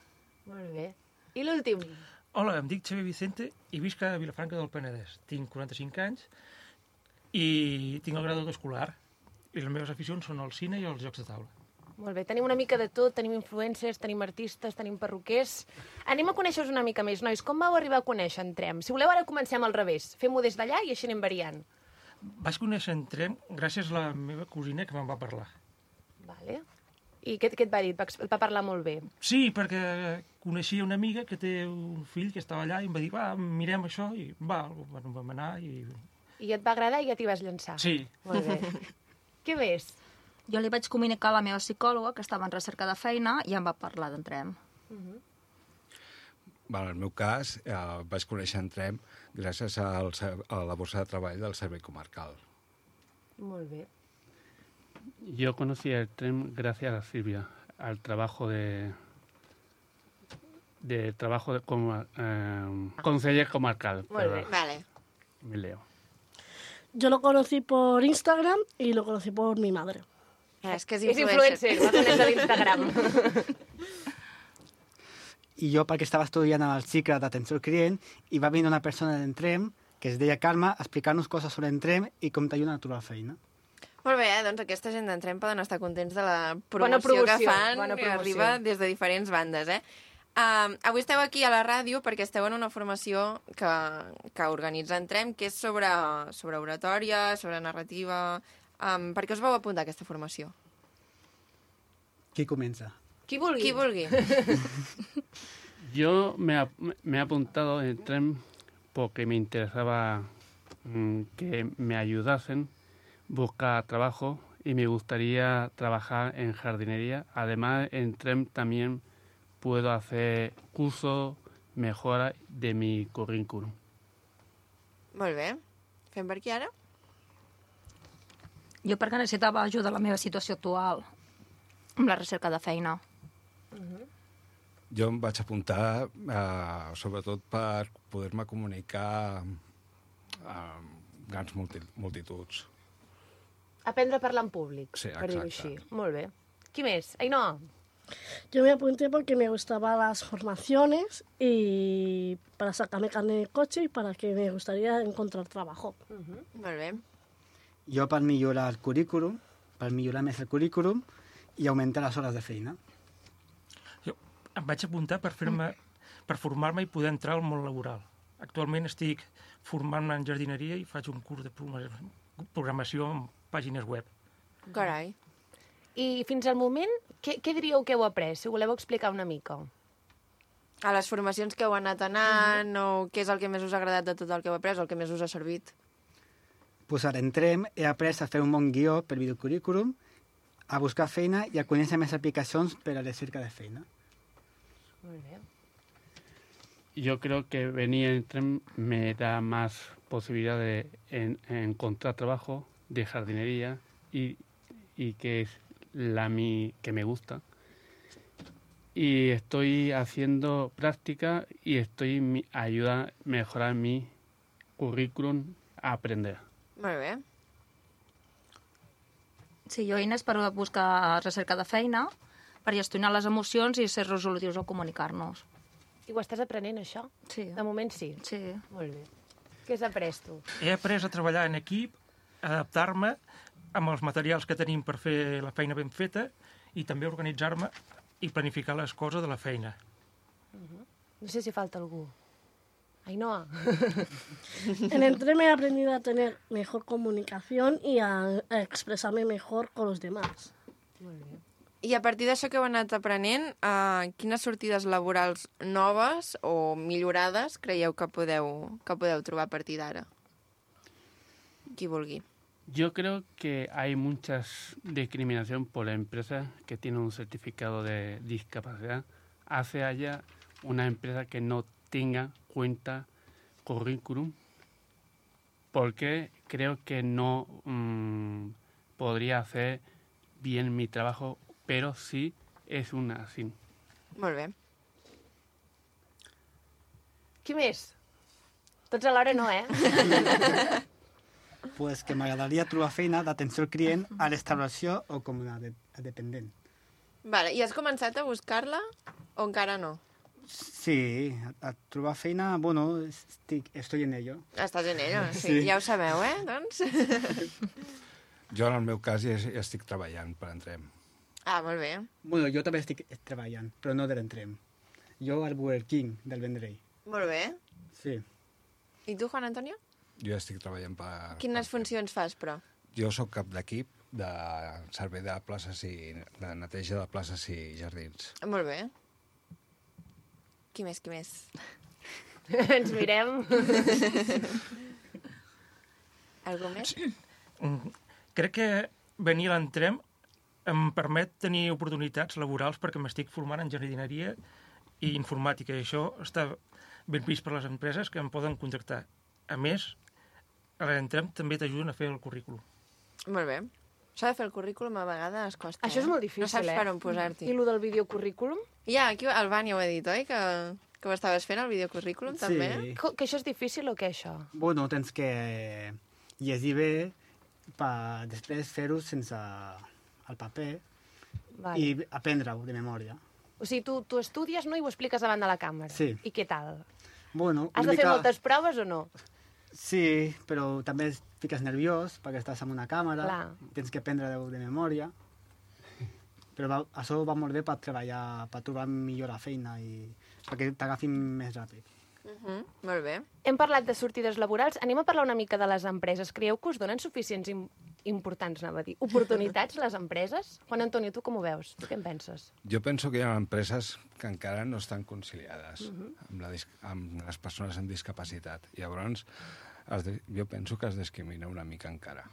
Molt bé. I l'últim? Hola, em dic Xavier Vicente i visc a Vilafranca del Penedès. Tinc quaranta-cinc anys i tinc el grau escolar. I les meves aficions són el cine i els jocs de taula. Molt bé, tenim una mica de tot, tenim influencers, tenim artistes, tenim perruquers... Anem a conèixer-vos una mica més, nois. Com vau arribar a conèixer Entrem? Si voleu, ara comencem al revés. Fem-ho des d'allà i així anem variant. Vaig conèixer Entrem gràcies a la meva cosina que me'n va parlar. Vale. I què, què et va dir? Et va, et va parlar molt bé. Sí, perquè coneixia una amiga que té un fill que estava allà i em va dir, va, mirem això, i va, bueno, vam anar i... I et va agradar i ja t'hi vas llançar. Sí. Molt bé. Què més? Jo li vaig comunicar a la meva psicòloga que estava en recerca de feina i em va parlar d'Entrem. Uh -huh. Bueno, en el meu cas, eh, vaig conèixer Entrem gràcies al, a la borsa de treball del Servei Comarcal. Molt bé. Yo conocí el tren gracias a Silvia, al trabajo de, de trabajo de, como eh, conseller comarcal. Muy perdón. bien. Vale. Me leo. Yo lo conocí por Instagram y lo conocí por mi madre. Es que és És influencer, va conèixer l'Instagram. I jo perquè estava estudiant en el cicle d'atenció al client i va venir una persona d'Entrem que es deia Carme a explicar-nos coses sobre Entrem i com t'ajuden a trobar feina. Molt bé, eh? Doncs aquesta gent d'Entrem poden estar contents de la promoció, Bona promoció, que fan bona i promoció. arriba des de diferents bandes, eh? Uh, avui esteu aquí a la ràdio perquè esteu en una formació que, que organitza Entrem, que és sobre, sobre oratòria, sobre narrativa, Um, per què us vau apuntar a aquesta formació? Qui comença? Qui vulgui. Qui vulgui. Yo me, ap- me he apuntado en el tren porque me interesaba mm, que me ayudasen a buscar trabajo y me gustaría trabajar en jardinería. Además, en tren también puedo hacer cursos, mejora de mi currículum. Molt bé. Fem per aquí ara? Jo perquè necessitava ajuda a la meva situació actual amb la recerca de feina. Jo em vaig apuntar eh, sobretot per poder-me comunicar amb grans multi multituds. Aprendre a parlar en públic, Sí, per dir-ho exacte. així. Molt bé. Qui més? Ainhoa. Yo me apunté porque me gustaban las formaciones y para sacarme carnet de coche y para que me gustaría encontrar trabajo. Molt bé. Jo per millorar el currículum, per millorar més el currículum i augmentar les hores de feina. Jo em vaig apuntar per fer-me, per formar-me i poder entrar al món laboral. Actualment estic formant-me en jardineria i faig un curs de programació en pàgines web. Carai. I fins al moment, què, què diríeu que heu après? Si ho voleu explicar una mica. A les formacions que heu anat anant, o què és el que més us ha agradat de tot el que heu après, o el que més us ha servit? Pues ara entrem, he après a fer un bon guió per videocurrículum, a buscar feina i a conèixer més aplicacions per a la cerca de feina. Molt bé. Yo creo que venir en tren me da más posibilidad de en- encontrar trabajo de jardinería y, y que es la mi, que me gusta. Y estoy haciendo práctica y estoy mi, ayuda a mejorar mi currículum a aprender. Molt bé. Sí, jo eines per buscar recerca de feina, per gestionar les emocions i ser resolutius al comunicar-nos. I ho estàs aprenent, això? Sí. De moment sí? Sí. Molt bé. Què has après, tu? He après a treballar en equip, adaptar-me amb els materials que tenim per fer la feina ben feta i també organitzar-me i planificar les coses de la feina. No sé si falta algú. Ainhoa. En el tren he aprendido a tener mejor comunicación y a, a expresarme mejor con los demás. Molt bé. I a partir d'això que heu anat aprenent, uh, quines sortides laborals noves o millorades creieu que podeu, que podeu trobar a partir d'ara? Qui vulgui. Yo creo que hay mucha discriminación por la empresa que tiene un certificado de discapacidad. Hace allá una empresa que no tenga cuenta currículum porque creo que no mmm, podría hacer bien mi trabajo, pero sí es una así. Molt bé. Qui més? Tots alhora no, eh? Pues que m'agradaria trobar feina d'atenció al client a restauració o com a, de, a dependent. Vale, i has començat a buscar-la o encara no? Sí, a, a trobar feina, bueno, estic, estoy en ello. Estàs en ello, sí. Sí. Ja ho sabeu, eh? Doncs... Jo, en el meu cas, ja, ja estic treballant per Entrem. Ah, molt bé. Bueno, jo també estic treballant, però no de l'Entrem. Jo al Burger King del Vendrell. Molt bé. Sí. I tu, Juan Antonio? Jo ja estic treballant per... Quines funcions fas, però? Jo sóc cap d'equip de servei de places i de neteja de places i jardins. Molt bé. Qui més, qui més? Ens mirem. Algú més? Mm, Crec que venir a l'Entrem em permet tenir oportunitats laborals perquè m'estic formant en jardineria i informàtica, i això està ben vist per les empreses que em poden contractar. A més, a l'Entrem també t'ajuden a fer el currículum. Molt bé. Això de fer el currículum a vegades costa. Això és eh? molt difícil, No saps eh? per on posar-t'hi. I lo del videocurrículum? Ja, aquí el Vani ho ha dit, oi? Que, que ho estaves fent, el videocurrículum, Sí. també? Co- Que això és difícil o què, això? Bueno, tens que llegir bé per després fer-ho sense el paper Vale. i aprendre-ho de memòria. O sigui, tu, tu estudies, no?, i ho expliques davant de la càmera. Sí. I què tal? Bueno, Has una de fer mica- moltes proves o no? Sí, però també et fiques nerviós perquè estàs amb una càmera, Clar. tens que aprendre-ho de memòria. Però va, això va molt bé per treballar, per trobar millor la feina i perquè t'agafin més ràpid. Uh-huh. Molt bé. Hem parlat de sortides laborals. Anem a parlar una mica de les empreses. Creieu que us donen suficients im importants, anava a dir, oportunitats les empreses? Juan Antonio, tu com ho veus? Tu què en penses? Jo penso que hi ha empreses que encara no estan conciliades Uh-huh. amb, la amb les persones amb discapacitat. Llavors, es de jo penso que es discrimina una mica encara.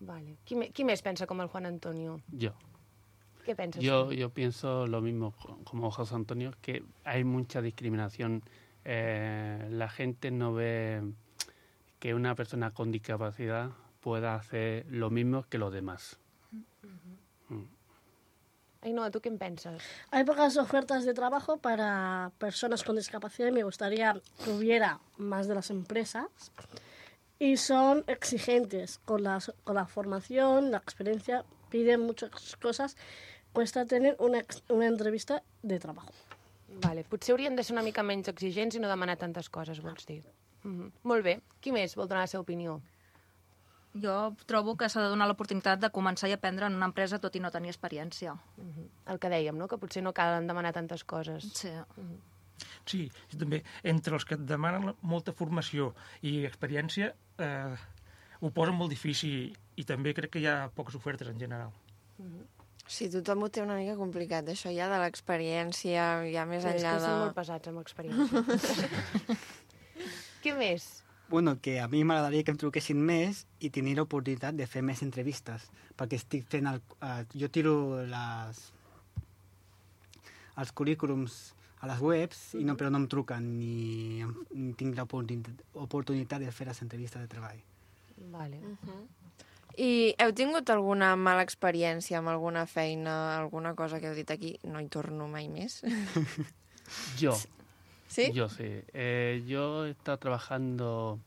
Vale. Qui, me qui més pensa com el Juan Antonio? Yo. ¿Qué piensas Yo, tú? yo pienso lo mismo como José Antonio, que hay mucha discriminación. Eh, la gente no ve que una persona con discapacidad pueda hacer lo mismo que los demás. Uh-huh. Mm. Ainhoa, ¿tú qué piensas? Hay pocas ofertas de trabajo para personas con discapacidad y me gustaría que hubiera más de las empresas. Y son exigentes con la, con la formación, la experiencia, piden muchas cosas. Cuesta tener una, una entrevista de trabajo. Vale, potser haurien de ser una mica menys exigents i no demanar tantes coses, vols dir. Mm-hmm. Molt bé. Qui més vol donar la seva opinió? Jo trobo que s'ha de donar l'oportunitat de començar i aprendre en una empresa tot i no tenir experiència. Mm-hmm. El que dèiem, no? Que potser no calen demanar tantes coses. Sí. Mm-hmm. Sí, també entre els que et demanen molta formació i experiència eh, ho posen molt difícil i també crec que hi ha poques ofertes en general. Mm-hmm. Sí, tothom ho té una mica complicat, això ja de l'experiència, ja més sí, enllà de... És que són molt pesats amb experiència. Què més? Bueno, que a mi m'agradaria que em truquessin més i tenir l'oportunitat de fer més entrevistes, perquè estic fent el... Uh, jo tiro les, els currículums a les webs, i no, però no em truquen ni, ni tinc l'oportunitat de fer les entrevistes de treball. Vale. Uh-huh. I heu tingut alguna mala experiència amb alguna feina, alguna cosa que heu dit aquí, no hi torno mai més? Yo. ¿Sí? Yo sí. Eh, yo he estado trabajando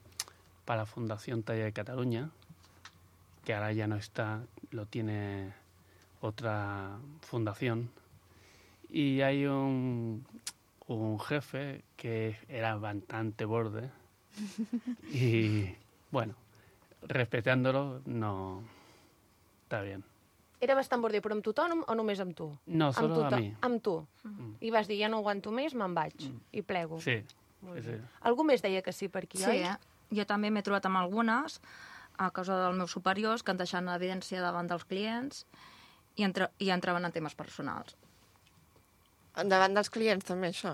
para Fundación Talla de Cataluña, que ahora ya no está, lo tiene otra fundación. Y hay un, un jefe que era bastante borde. Y bueno, respetándolo, no está bien. Era bastant border, però amb tothom o només amb tu? No, solo amb a mi. Amb tu. Mm. I vas dir, ja no aguanto més, me'n vaig. Mm. I plego. Sí. sí. Algú més deia que sí per aquí, sí, oi? Eh? Jo també m'he trobat amb algunes, a causa dels meus superiors, que han deixat l'evidència davant dels clients i, entre, i entraven en temes personals. Davant dels clients també, això?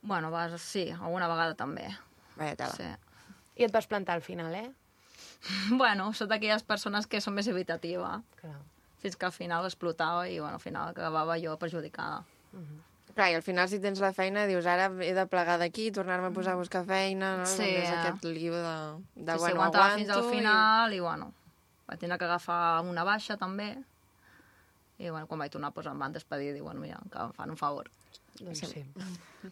Bueno, vas, sí, alguna vegada també. Vaja tela. Sí. I et vas plantar al final, eh? Bueno, sóc d'aquelles persones que són més evitativa. Clar. Fins que al final explotava i bueno, al final acabava jo perjudicada. Uh-huh. Clar, i al final si tens la feina dius ara he de plegar d'aquí, tornar-me a posar a buscar feina, no? Sí. És aquest lío de, de sí, bueno, sí, aguantava aguanto... fins al final i, i bueno, vaig tenir que agafar una baixa també i bueno, quan vaig tornar doncs, em van despedir i diuen, mira, que em fan un favor. Doncs sí.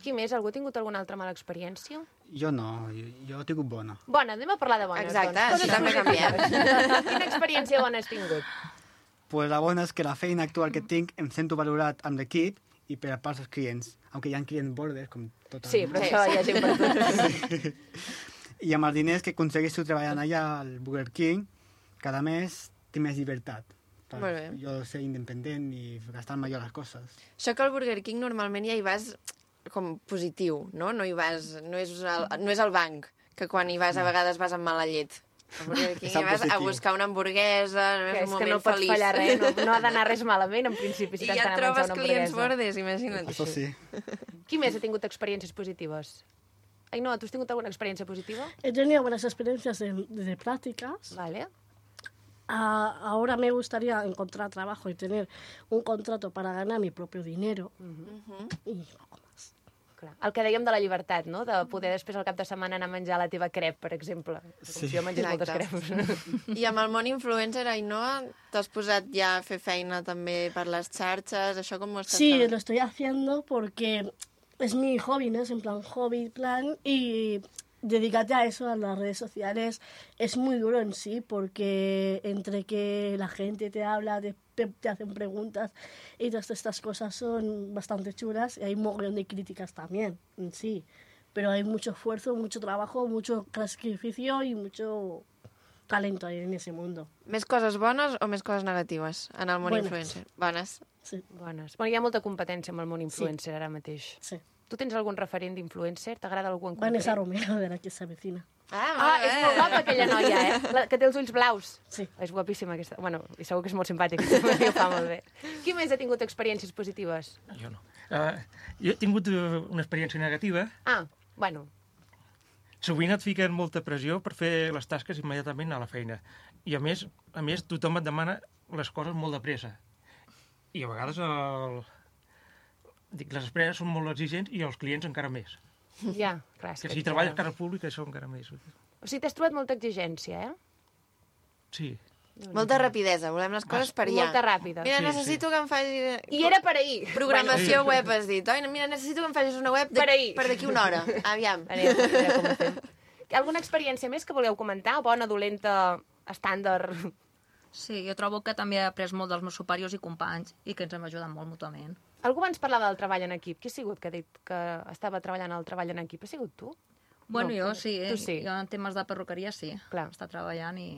Qui més? Algú ha tingut alguna altra mala experiència? Jo no, jo, jo he tingut bona. Bona, anem a parlar de bones. Exacte, doncs. això també canviem. Quina experiència bona has tingut? Pues la bona és que la feina actual que tinc em sento valorat amb l'equip i per a part dels clients, aunque hi ha clients bordes, com tot. Sí, però això hi ha gent per tot. I amb els diners que aconsegueixo treballant allà al Burger King, cada mes tinc més llibertat. Molt bé. Jo ser independent i gastar-me jo les coses. Això que al Burger King normalment ja hi vas com positiu, no? No hi vas, no és el, no és el banc, que quan hi vas a vegades vas amb mala llet. Al Burger King hi vas a buscar una hamburguesa, no és, és un que moment no pots feliç. fallar res, no, no ha d'anar res malament, en principi, si I ja t'han et trobes una clients hamburguesa. bordes, imagina't. Això sí. Qui més ha tingut experiències positives? Ainhoa, ¿tú has tenido alguna experiencia positiva? He tenido buenas experiencias de, de prácticas. Vale. Ah, ahora me gustaría encontrar trabajo y tener un contrato para ganar mi propio dinero. Uh-huh. I poco más. Clar. El que dèiem de la llibertat, no? De poder després al cap de setmana anar a menjar la teva crep, per exemple. Sí. Si jo mengés moltes Exacte. creps. I amb el món influencer, Ainhoa, t'has posat ja a fer feina també per les xarxes, això com ho estàs Sí, fent? lo estoy haciendo porque es mi hobby, ¿no? Es en plan hobby, plan, y dedicarte a eso, a las redes sociales, es muy duro en sí, porque entre que la gente te habla, te, te hacen preguntas, y todas estas cosas son bastante chulas, y hay un mogollón de críticas también, en sí. Pero hay mucho esfuerzo, mucho trabajo, mucho sacrificio y mucho talento ahí en ese mundo. Més coses bones o més coses negatives en el món Bones. influencer? Bones. Sí. Bones. Bueno, hi ha molta competència amb el món influencer sí. ara mateix. Sí. Tu tens algun referent d'influencer? T'agrada algú en concret? Vanessa Romero, de la que s'avecina. Ah, Ah, és molt guapa aquella noia, eh? La, que té els ulls blaus. Sí. És guapíssima aquesta. Bueno, i segur que és molt simpàtica. Ho fa molt bé. Qui més ha tingut experiències positives? Jo no. Uh, jo he tingut uh, una experiència negativa. Ah, bueno. Sovint et fiquen molta pressió per fer les tasques immediatament a la feina. I a més, a més tothom et demana les coses molt de pressa. I a vegades el... Dic, les empreses són molt exigents i els clients encara més. Ja, clar. Que si treballes a cara pública això encara més. O sigui, t'has trobat molta exigència, eh? Sí. Molta rapidesa, volem les coses per allà. Molta ràpida. Mira, Sí, necessito que em facis... I era per ahir. Programació Bueno. web, has dit. Oi, mira, necessito que em facis una web de... Per ahir. per d'aquí una hora. Aviam. Anem, a veure com ho fem. Alguna experiència més que voleu comentar? Bona, dolenta, estàndard? Sí, jo trobo que també he après molt dels meus superiors i companys i que ens hem ajudat molt mútuament. Algú abans parlava del treball en equip. Qui ha sigut que ha dit que estava treballant al treball en equip? Ha sigut tu? Bueno, No, jo sí, tu sí. jo en temes de perruqueria sí. Clar. Està treballant i,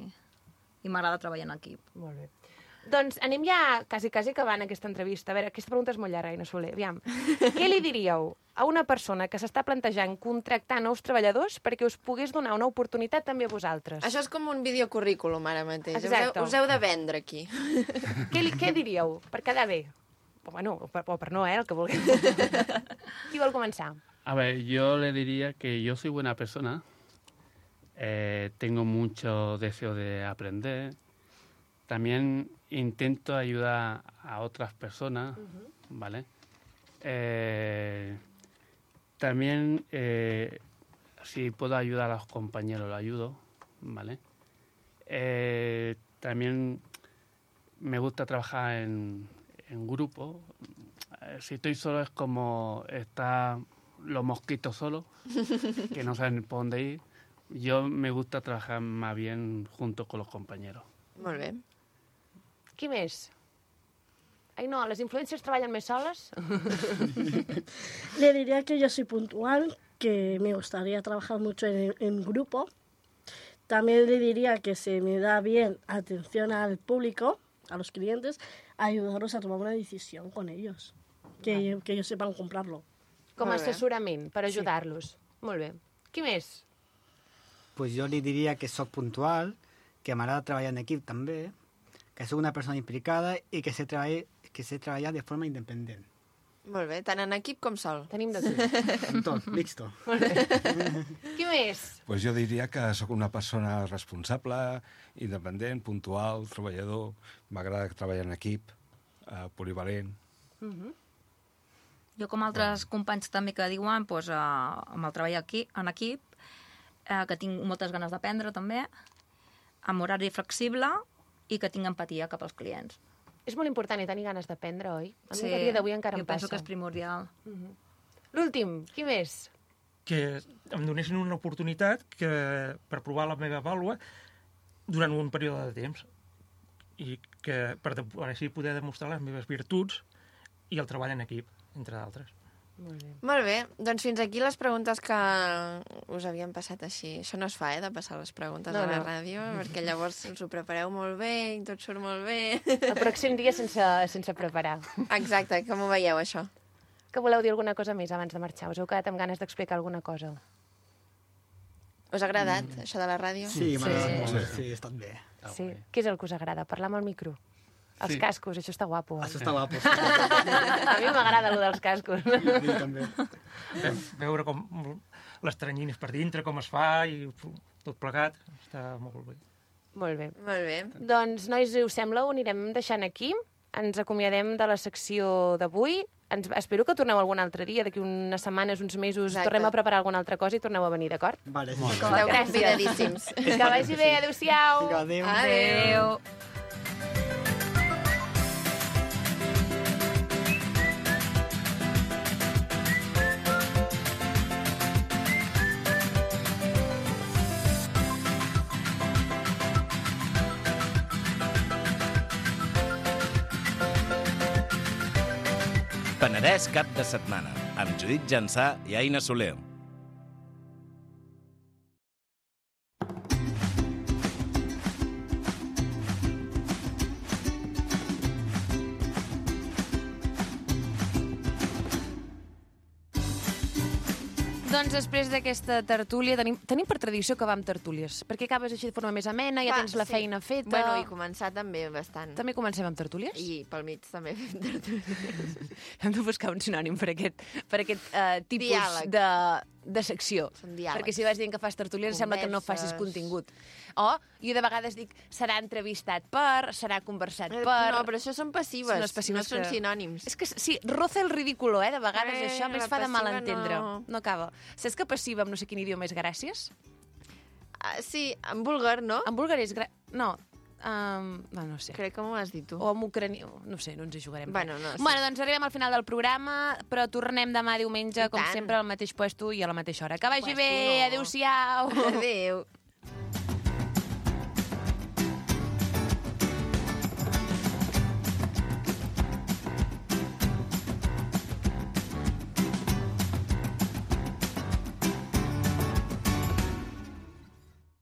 i m'agrada treballar en equip. Molt bé. Doncs anem ja quasi, quasi acabant aquesta entrevista. A veure, aquesta pregunta és molt llarga, Aina Soler. Aviam. Què li diríeu a una persona que s'està plantejant contractar nous treballadors perquè us pogués donar una oportunitat també a vosaltres? Això és com un videocurrículum ara mateix. Us heu, Exacte. us heu de vendre aquí. Què, li, què diríeu? Per quedar bé? O, bueno, o per, o per no, eh, el que vulgueu. Qui vol començar? A ver, yo le diría que yo soy buena persona, eh, tengo mucho deseo de aprender, también intento ayudar a otras personas, Uh-huh. ¿vale? Eh, también, eh, si puedo ayudar a los compañeros, lo ayudo, ¿vale? Eh, también me gusta trabajar en, en grupo. Eh, Si estoy solo es como estar los mosquitos solos, que no saben por dónde ir. Yo me gusta trabajar más bien junto con los compañeros. Molt bé. Qui més? Ai, no, les influències treballen més soles? Le diría que yo soy puntual, que me gustaría trabajar mucho en, en grupo. También le diría que se me da bien atención al público, a los clientes, ayudarlos a tomar una decisión con ellos, que, que ellos sepan comprarlo. Com a Molt bé. assessorament, per Sí. ajudar-los. Molt bé. Qui més? Pues jo li diria que sóc puntual, que m'agrada treballar en equip també, que sóc una persona implicada i que sé, treballar, que sé treballar de forma independent. Molt bé, tant en equip com sol. Tenim de tot. En tot, mixto. Molt bé. Qui més? Pues jo diria que sóc una persona responsable, independent, puntual, treballador. M'agrada treballar en equip, eh, polivalent. Uh -huh. Jo, com altres companys també que diuen, doncs, eh, amb el treball aquí, en equip, eh, que tinc moltes ganes d'aprendre també, amb horari flexible i que tinc empatia cap als clients. És molt important i tenir ganes d'aprendre, oi? A mi Sí, a dia d'avui encara jo em penso passa. que és primordial. Uh -huh. L'últim, qui més? Que em donessin una oportunitat que, per provar la meva vàlua durant un període de temps i que per, de, per així poder demostrar les meves virtuts i el treball en equip, entre d'altres. Molt bé. Molt bé, doncs fins aquí les preguntes que us havien passat així. Això no es fa, eh, de passar les preguntes No, a la no. ràdio, perquè llavors us ho prepareu molt bé i tot surt molt bé. El pròxim dia sense, sense preparar. Exacte, com ho veieu, això? Que voleu dir alguna cosa més abans de marxar? Us heu quedat amb ganes d'explicar alguna cosa? Us ha agradat, mm. això de la ràdio? Sí, m'ha agradat Sí. molt, sí, ha estat bé. Sí. Què és el que us agrada? Parlar amb el micro? Els Sí. cascos, això està guapo. Això està guapo, sí. A mi m'agrada allò dels cascos. Sí, també. Veure com les teranyines per dintre, com es fa i tot plegat, està molt bé. Molt bé. Molt bé. Doncs, nois, si us sembla, ho anirem deixant aquí. Ens acomiadem de la secció d'avui. Ens, espero que torneu algun altre dia, d'aquí unes setmanes, uns mesos, Exacte. tornem a preparar alguna altra cosa i torneu a venir, d'acord? Vale, Molt bé. Esteu convidadíssims. Que vagi bé, adéu-siau. Adéu. Adéu. Penedès cap de setmana, amb Judit Jansà i Aina Soler. Doncs després d'aquesta tertúlia, tenim, tenim per tradició acabar amb tertúlies, perquè acabes així de forma més amena, ja Va, tens la sí. feina feta... Bueno, i començar també bastant. També comencem amb tertúlies? I pel mig també fem tertúlies. Hem de buscar un sinònim per aquest, per aquest uh, tipus Diàleg. de, de secció. Són diàlegs. Perquè si vas dient que fas tertúlies, sembla que no facis Converses. contingut. O, jo de vegades dic, serà entrevistat per, serà conversat Eh, per... no, però això són passives, les passives no són que- sinònims. És que sí, roza el ridículo, eh? De vegades Eh, això a més la fa de mal passiva entendre. no. No acaba. Saps que passiva amb no sé quin idioma és gràcies? Ah, sí, en búlgar, no? En búlgar és... Gra... No, um, no, no sé. Crec que m'ho has dit tu. O en ucranià, no sé, no ens hi jugarem. Bueno, no, sí. Bueno, doncs arribem al final del programa, però tornem demà diumenge, I com tant. sempre, al mateix puesto i a la mateixa hora. Que vagi Puesto bé, no. adéu-siau! Adéu.